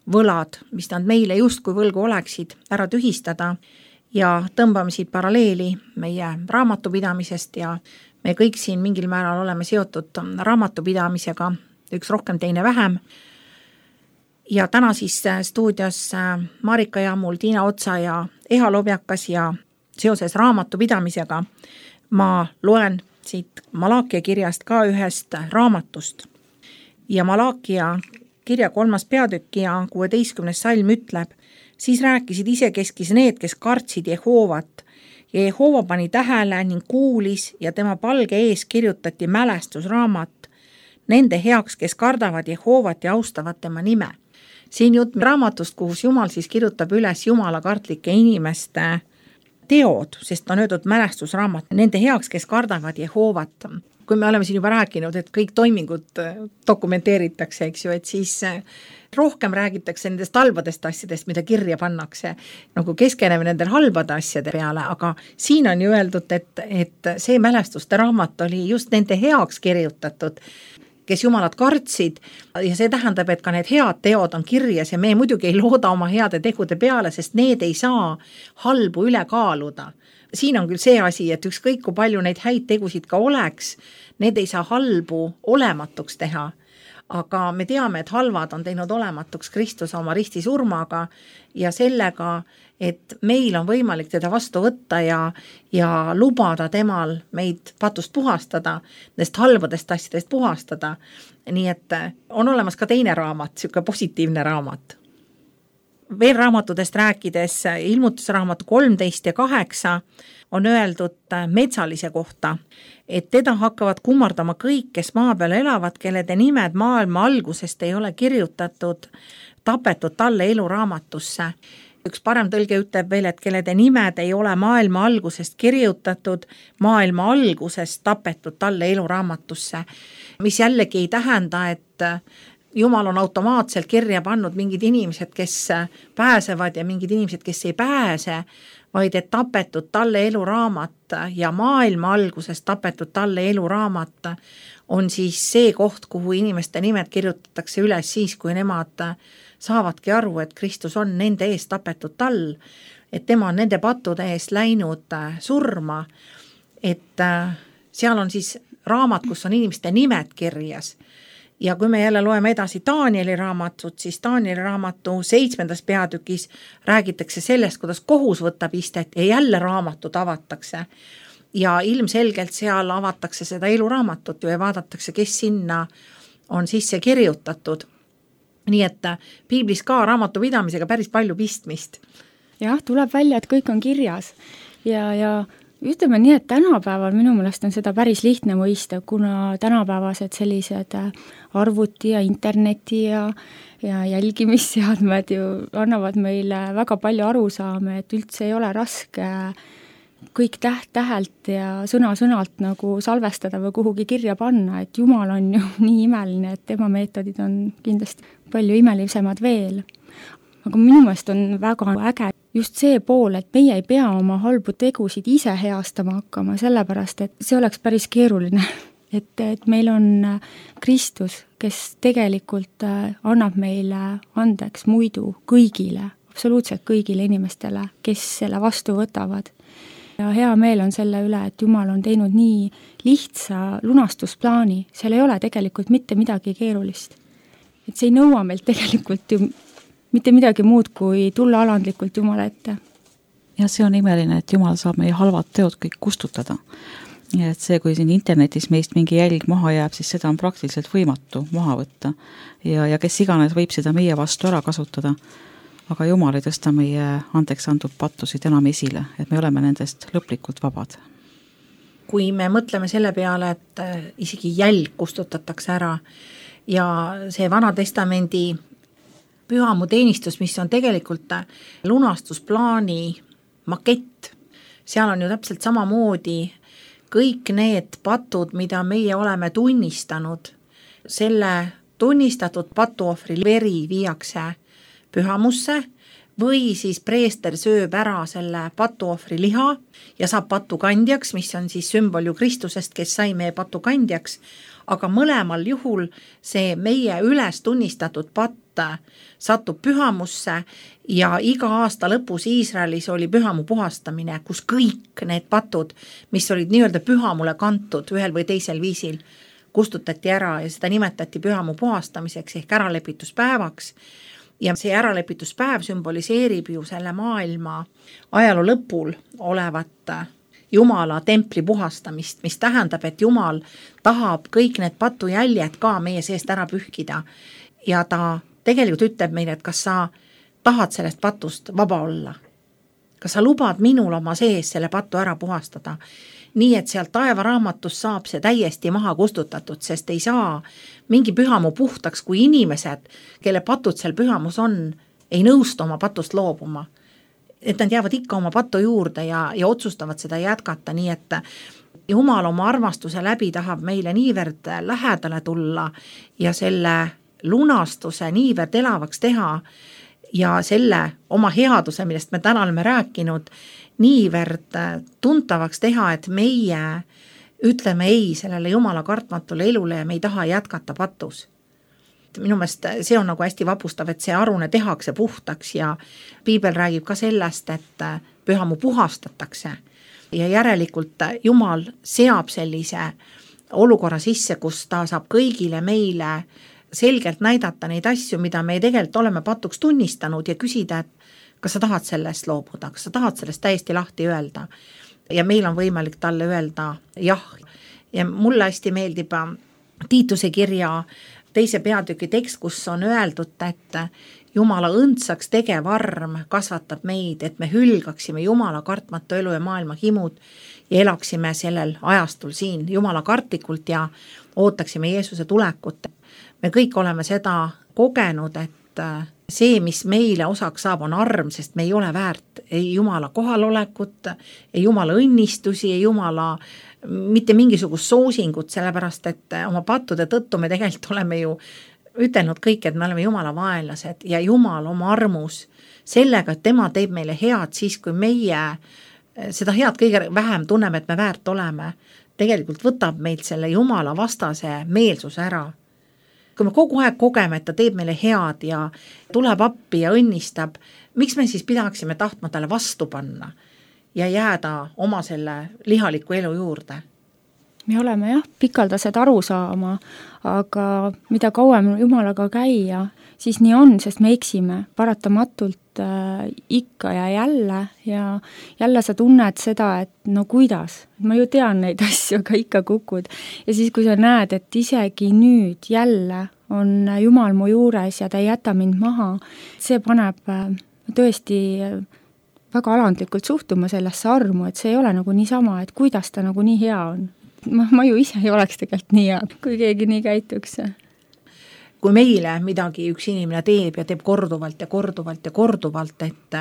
võlad, mis nad meile justkui võlgu oleksid, ära tühistada ja tõmbame siit paralleeli meie raamatupidamisest ja me kõik siin mingil määral oleme seotud raamatupidamisega, üks rohkem, teine vähem. ja täna siis stuudios Marika Jaamul, Tiina Otsa ja Eha Lobjakas ja seoses raamatupidamisega ma loen siit Malakia kirjast ka ühest raamatust. Ja Malakia kirja 3. peatükk ja 16. salm ütleb: siis rääkisid isekeskis need, kes kartsid Jehoovat, ja Jehova pani tähele ning kuulis ja tema palge ees kirjutati mälestusraamat nende heaks, kes kardavad Jehovat ja austavad tema nime. Siin jutt raamatust, kus Jumal siis kirjutab üles Jumala kartlike inimeste teod, sest on öeldud mälestusraamat nende heaks, kes kardavad Jehovat. Kui me oleme siin juba rääkinud, et kõik toimingud dokumenteeritakse, eks ju, et siis rohkem räägitakse nendest halbadest asjadest, mida kirja pannakse, nagu keskeneme nendel halbade asjade peale, aga siin on ju öeldud, et see mälestuste raamat oli just nende heaks kirjutatud, kes Jumalat kartsid, ja see tähendab, et ka need head teod on kirjas ja me muidugi ei looda oma heade tegude peale, sest need ei saa halbu üle kaaluda. Siin on küll see asi, et ükskõik kui palju neid häid tegusid ka oleks, need ei saa halbu olematuks teha. Aga me teame, et halvad on teinud olematuks Kristus oma ristisurmaga ja sellega, et meil on võimalik teda vastu võtta ja lubada temal meid patust puhastada, nendest halbadest asjadest puhastada. Nii et on olemas ka teine raamat, selline positiivne raamat. Veel raamatudest rääkides, ilmutusraamatu 13 ja 8 on öeldud metsalise kohta, et teda hakkavad kummardama kõik, kes maa peal elavad, kellede nimed maailma algusest ei ole kirjutatud, tapetud talle eluraamatusse. Üks parem tõlge ütleb veel, et kellede nimed ei ole maailma algusest kirjutatud, maailma algusest tapetud talle eluraamatusse, mis jällegi ei tähenda, et Jumal on automaatselt kirja pannud mingid inimesed, kes pääsevad ja mingid inimesed, kes ei pääse, vaid et tapetud talle eluraamat ja maailma alguses tapetud talle eluraamat on siis see koht, kuhu inimeste nimed kirjutatakse üles siis, kui nemad saavadki aru, et Kristus on nende eest tapetud tall, et tema on nende pattude eest läinud surma, et seal on siis raamat, kus on inimeste nimed kirjas. Ja kui me jälle loeme edasi Danieli raamatut, siis Danieli raamatu 7. peatükis räägitakse sellest, kuidas kohus võtab istet ja jälle raamatud avatakse. Ja ilmselgelt seal avatakse seda eluraamatut ja vaadatakse, kes sinna on sisse kirjutatud. Nii et piiblis ka raamatupidamisega päris palju pistmist. Jah, tuleb välja, et kõik on kirjas ja ütleme nii, et tänapäeval minu meelest on seda päris lihtne mõista, kuna tänapäevased sellised arvuti ja interneti ja jälgimisseadmed ju annavad meile väga palju arusaame, et üldse ei ole raske kõik täht-tähelt ja sõna-sõnalt nagu salvestada või kuhugi kirja panna, et Jumal on ju nii imeline, et tema meetodid on kindlasti palju imelisemad veel. Aga minu meelest on väga äge just see pool, et meie ei pea oma halbu tegusid ise heastama hakkama, sellepärast, et see oleks päris keeruline. Et meil on Kristus, kes tegelikult annab meile andeks muidu kõigile, absoluutselt kõigile inimestele, kes selle vastu võtavad. Ja hea meel on selle üle, et Jumal on teinud nii lihtsa lunastusplaani, seal ei ole tegelikult mitte midagi keerulist. Et see ei nõua meilt tegelikult ju mitte midagi muud, kui tulla alandlikult Jumala ette. Ja see on imeline, et Jumal saab meie halvad teod kõik kustutada. Ja et see, kui siin internetis meist mingi jälg maha jääb, siis seda on praktiliselt võimatu maha võtta. Ja kes iganes võib seda meie vastu ära kasutada. Aga Jumal ei tõsta meie andeks antud pattusid enam esile, et me oleme nendest lõplikult vabad. Kui me mõtleme selle peale, et isegi jälg kustutatakse ära ja see Vana Testamendi pühamu teenistus, mis on tegelikult lunastusplaani makett. Seal on ju täpselt samamoodi kõik need patud, mida meie oleme tunnistanud. Selle tunnistatud patuohvri veri viiakse pühamusse või siis preester sööb ära selle patuohvri liha ja saab patukandjaks, mis on siis sümbol ju Kristusest, kes sai meie patukandjaks, aga mõlemal juhul see meie üles tunnistatud patt satub pühamusse ja iga aasta lõpus Iisraelis oli pühamu puhastamine, kus kõik need patud, mis olid nii-öelda pühamule kantud ühel või teisel viisil, kustutati ära ja seda nimetati pühamuu puhastamiseks ehk äralepituspäevaks. Ja see äralepituspäev sümboliseerib ju selle maailma ajaloo lõpul olevat Jumala templi puhastamist, mis tähendab, et Jumal tahab kõik need patujäljed ka meie seest ära pühkida. Ja ta tegelikult ütleb meile, et kas sa tahad sellest patust vaba olla. Kas sa lubad minul oma sees selle patu ära puhastada? Nii, et sealt taevaraamatust saab see täiesti maha kustutatud, sest ei saa mingi pühamuu puhtaks, kui inimesed, kelle patud seal pühamus on, ei nõustu oma patust loobuma. Et nad jäävad ikka oma patu juurde ja otsustavad seda jätkata, nii et Jumal oma armastuse läbi tahab meile niivõrd lähedale tulla ja selle lunastuse niivõrd elavaks teha ja selle oma headuse, millest me täna oleme rääkinud, niivõrd tuntavaks teha, et meie ütleme ei sellele Jumala kartmatule elule ja me ei taha jätkata patus. Minu meelest see on nagu hästi vapustav, et see arune tehakse puhtaks ja Piibel räägib ka sellest, et pühamuu puhastatakse ja järelikult Jumal seab sellise olukorra sisse, kus ta saab kõigile meile selgelt näidata neid asju, mida me tegelikult oleme patuks tunnistanud ja küsida, et kas sa tahad sellest loobuda, kas sa tahad sellest täiesti lahti öelda ja meil on võimalik talle öelda jah. Ja mulle hästi meeldib Tiituse kirja 2. peatüki tekst, kus on öeldud, et Jumala õndsaks tegev arm kasvatab meid, et me hülgaksime Jumala kartmatu elu ja maailma himud ja elaksime sellel ajastul siin Jumala kartlikult ja ootaksime Jeesuse tulekut. Me kõik oleme seda kogenud, et see, mis meile osaks saab, on arm, sest me ei ole väärt ei Jumala kohalolekut, ei Jumala õnnistusi, ei Jumala mitte mingisugust soosingut, sellepärast, et oma pattude tõttu me tegelikult oleme ju ütelnud kõik, et me oleme Jumala vaenlased ja Jumal oma armus sellega, et tema teeb meile head siis, kui meie seda head kõige vähem tunneme, et me väärt oleme, tegelikult võtab meilt selle Jumala vastase meelsuse ära. Kui me kogu aeg kogeme, et ta teeb meile head ja tuleb appi ja õnnistab, miks me siis pidaksime tahtma talle vastu panna ja jääda oma selle lihaliku elu juurde? Me oleme jah, pikaldased aru saama, aga mida kauem Jumalaga käia, siis nii on, sest me eksime paratamatult ikka ja jälle sa tunned seda, et no kuidas, ma ju tean neid asju, aga ikka kukud. Ja siis, kui sa näed, et isegi nüüd jälle on Jumal mu juures ja ta ei jäta mind maha, see paneb tõesti väga alandlikult suhtuma sellesse armu, et see ei ole nagu niisama, et kuidas ta nagu nii hea on. Ma ju ise ei oleks tegelikult nii hea, kui keegi nii käituks. Kui meile midagi üks inimene teeb ja teeb korduvalt ja korduvalt ja korduvalt, et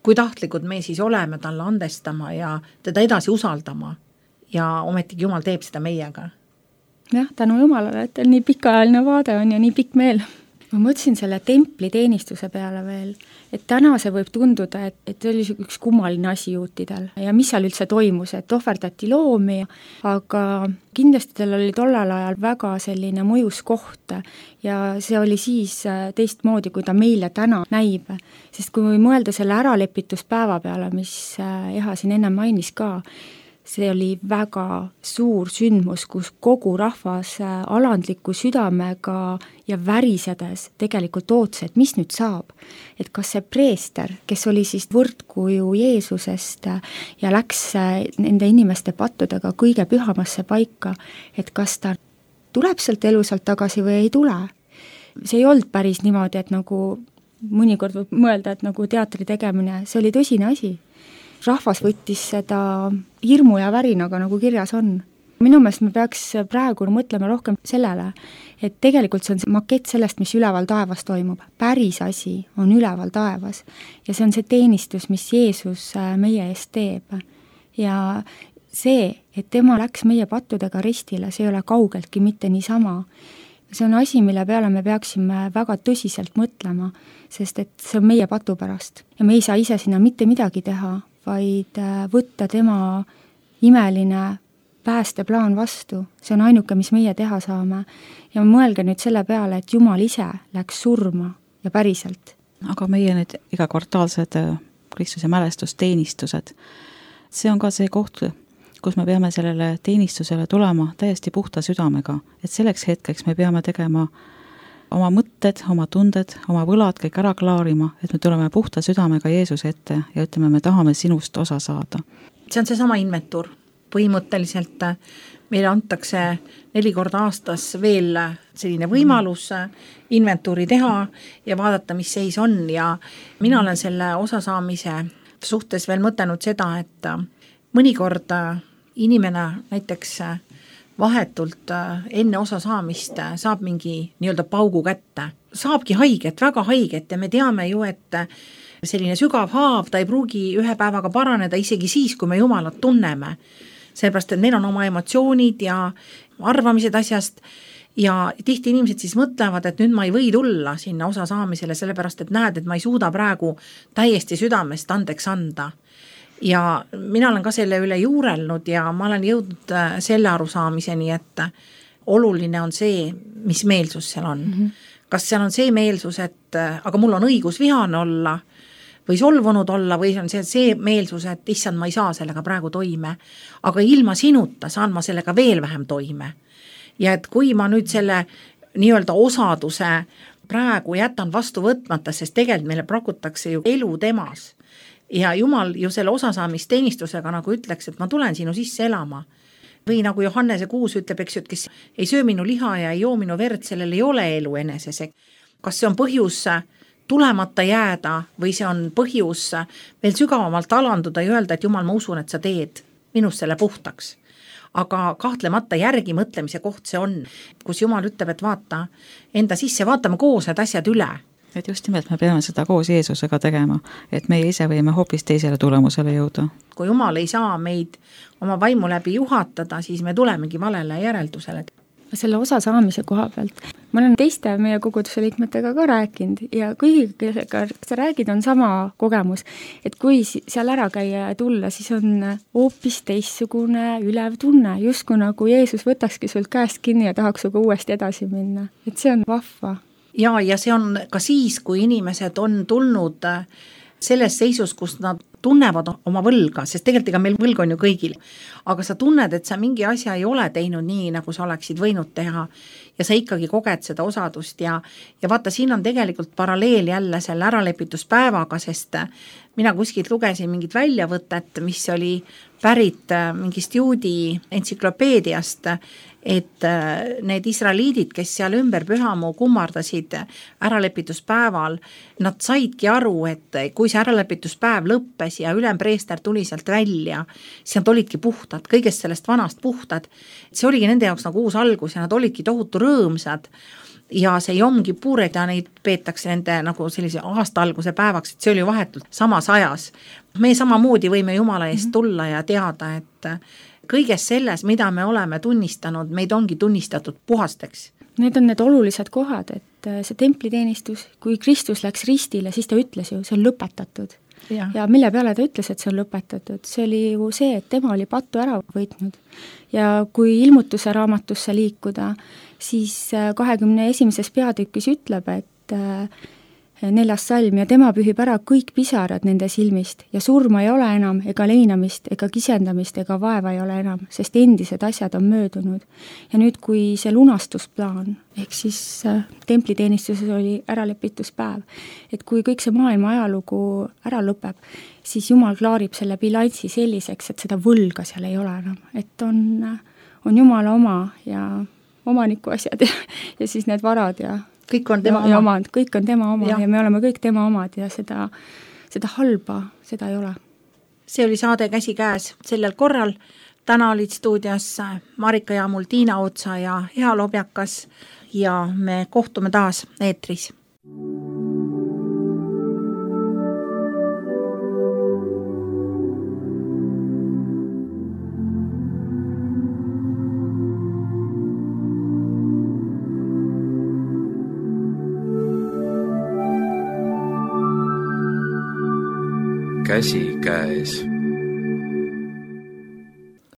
kui tahtlikud me siis oleme talle andestama ja teda edasi usaldama ja ometigi Jumal teeb seda meiega. Jah, tänu Jumalale, et teil nii pikaajaline vaade on ja nii pikk meel. Ma mõtlesin selle templi teenistuse peale veel, et täna see võib tunduda, et see oli üks kummaline asi juutidel ja mis seal üldse toimus, et ohverdati loomi, aga kindlasti tal oli tollal ajal väga selline mõjus koht ja see oli siis teistmoodi, kui ta meile täna näib, sest kui mõelda selle äralepituspäeva peale, mis Eha siin enne mainis ka, see oli väga suur sündmus, kus kogu rahvas alandliku südamega ja värisedes tegelikult ootas, et mis nüüd saab. Et kas see preester, kes oli siis võrdkuju Jeesusest ja läks nende inimeste pattudega kõige pühamasse paika, et kas ta tuleb sealt elusalt tagasi või ei tule. See ei olnud päris niimoodi, et nagu mõnikord võib mõelda, et nagu teatri tegemine, see oli tõsine asi. Rahvas võttis seda hirmu ja värinaga, nagu kirjas on. Minu meelest me peaks praegu mõtlema rohkem sellele, et tegelikult see on makett sellest, mis üleval taevas toimub. Päris asi on üleval taevas ja see on see teenistus, mis Jeesus meie eest teeb. Ja see, et tema läks meie pattudega ristile, see ei ole kaugeltki mitte niisama. See on asi, mille peale me peaksime väga tõsiselt mõtlema, sest et see on meie patu pärast ja me ei saa ise sinna mitte midagi teha, vaid võtta tema imeline päästeplaan vastu. See on ainuke, mis meie teha saame. Ja mõelge nüüd selle peale, et Jumal ise läks surma ja päriselt. Aga meie need igakvartaalsed Kristuse mälestusteenistused, see on ka see koht, kus me peame sellele teenistusele tulema täiesti puhta südamega, et selleks hetkeks me peame tegema oma mõtted, oma tunded, oma võlad kõik ära klaarima, et me tuleme puhta südamega Jeesuse ette ja ütleme, me tahame sinust osa saada. See on seesama inventuur. Põhimõtteliselt meile antakse 4 korda aastas veel selline võimalus inventuuri teha ja vaadata, mis seis on, ja mina olen selle osasaamise suhtes veel mõtelnud seda, et mõnikord inimene näiteks vahetult enne osasaamist saab mingi nii-öelda paugu kätte. Saabki haiget, väga haiget, ja me teame ju, et selline sügav haav, ta ei pruugi ühe päevaga paraneda isegi siis, kui me Jumalat tunneme. Sellepärast, et meil on oma emotsioonid ja arvamised asjast, ja tihti inimesed siis mõtlevad, et nüüd ma ei või tulla sinna osasaamisele, sellepärast, et näed, et ma ei suuda praegu täiesti südamest andeks anda. Ja mina olen ka selle üle juurelnud ja ma olen jõudnud selle arusaamiseni, et oluline on see, mis meelsus seal on. Kas seal on see meelsus, et aga mul on õigus vihane olla või solvunud olla, või on see meelsus, et issand, ma ei saa sellega praegu toime, aga ilma sinuta saan ma sellega veel vähem toime. Ja et kui ma nüüd selle nii-öelda osaduse praegu jätan vastu võtmata, sest tegelikult meile prakutakse ju elu temas, ja Jumal ju selle osasaamisteenistusega nagu ütleks, et ma tulen sinu sisse elama. Või nagu Johannese 6 ütleb, eks ju, et kes ei söö minu liha ja ei joo minu verd, sellel ei ole elu eneses. Kas see on põhjus tulemata jääda või see on põhjus veel sügavamalt alanduda ja öelda, et Jumal, ma usun, et sa teed minust selle puhtaks. Aga kahtlemata järgi mõtlemise koht see on, kus Jumal ütleb, et vaata enda sisse, vaatame koos need asjad üle. Et just nimelt me peame seda koos Jeesusega tegema, et meie ise võime hoopis teisele tulemusele jõuda. Kui Jumal ei saa meid oma vaimu läbi juhatada, siis me tulemegi valele järeldusele. Selle osa saamise koha pealt. Ma olen teiste meie koguduse liikmetega ka rääkinud ja kõigiga, kes sa räägid, on sama kogemus, et kui seal ära käia ja tulla, siis on hoopis teistsugune ülev tunne, justkui nagu Jeesus võtakski sult käest kinni ja tahaks suga uuesti edasi minna. Et see on vahva. Ja see on ka siis, kui inimesed on tulnud selles seisus, kus nad tunnevad oma võlga, sest tegelikult ega meil võlg on ju kõigil, aga sa tunned, et sa mingi asja ei ole teinud nii, nagu sa oleksid võinud teha ja sa ikkagi koged seda osadust ja vaata, siin on tegelikult paralleel jälle selle äralepituspäevaga, sest mina kuskilt lugesin mingit väljavõtet, mis oli pärit mingist juudi entsüklopeediast, et need israeliidid, kes seal ümber pühamu kummardasid äralepituspäeval, nad saidki aru, et kui see äralepituspäev lõppes ja ülempreester tuli sealt välja, siis nad olidki puhtad, kõigest sellest vanast puhtad. See oligi nende jaoks nagu uus algus ja nad olidki tohutu rõõmsad ja see Jom Kipured ja neid peetakse nende nagu sellise aasta alguse päevaks, et see oli vahetult samas ajas. Me samamoodi võime Jumala eest tulla ja teada, et kõiges selles, mida me oleme tunnistanud, meid ongi tunnistatud puhasteks. Need on need olulised kohad, et see templiteenistus, kui Kristus läks ristile, siis ta ütles ju, see on lõpetatud. Ja mille peale ta ütles, et see on lõpetatud? See oli ju see, et tema oli pattu ära võitnud. Ja kui ilmutuse raamatusse liikuda, siis 21. peatükis ütleb, et 4. salm ja tema pühib ära kõik pisarad nende silmist ja surma ei ole enam ega leinamist ega kisendamist ega vaeva ei ole enam, sest endised asjad on möödunud. Ja nüüd, kui see lunastusplaan, ehk siis templiteenistuses oli äralepituspäev, et kui kõik see maailma ajalugu ära lõpeb, siis Jumal klaarib selle bilansi selliseks, et seda võlga seal ei ole enam, et on Jumala oma ja omaniku asjad ja siis need varad ja kõik on tema oma. Kõik on tema oma ja me oleme kõik tema omad ja seda halba, seda ei ole. See oli saade Käsikäes sellel korral. Täna olid stuudios Marika Jaamul, Tiina Otsa ja Hea Lobjakas ja me kohtume taas eetris. Käsikäes.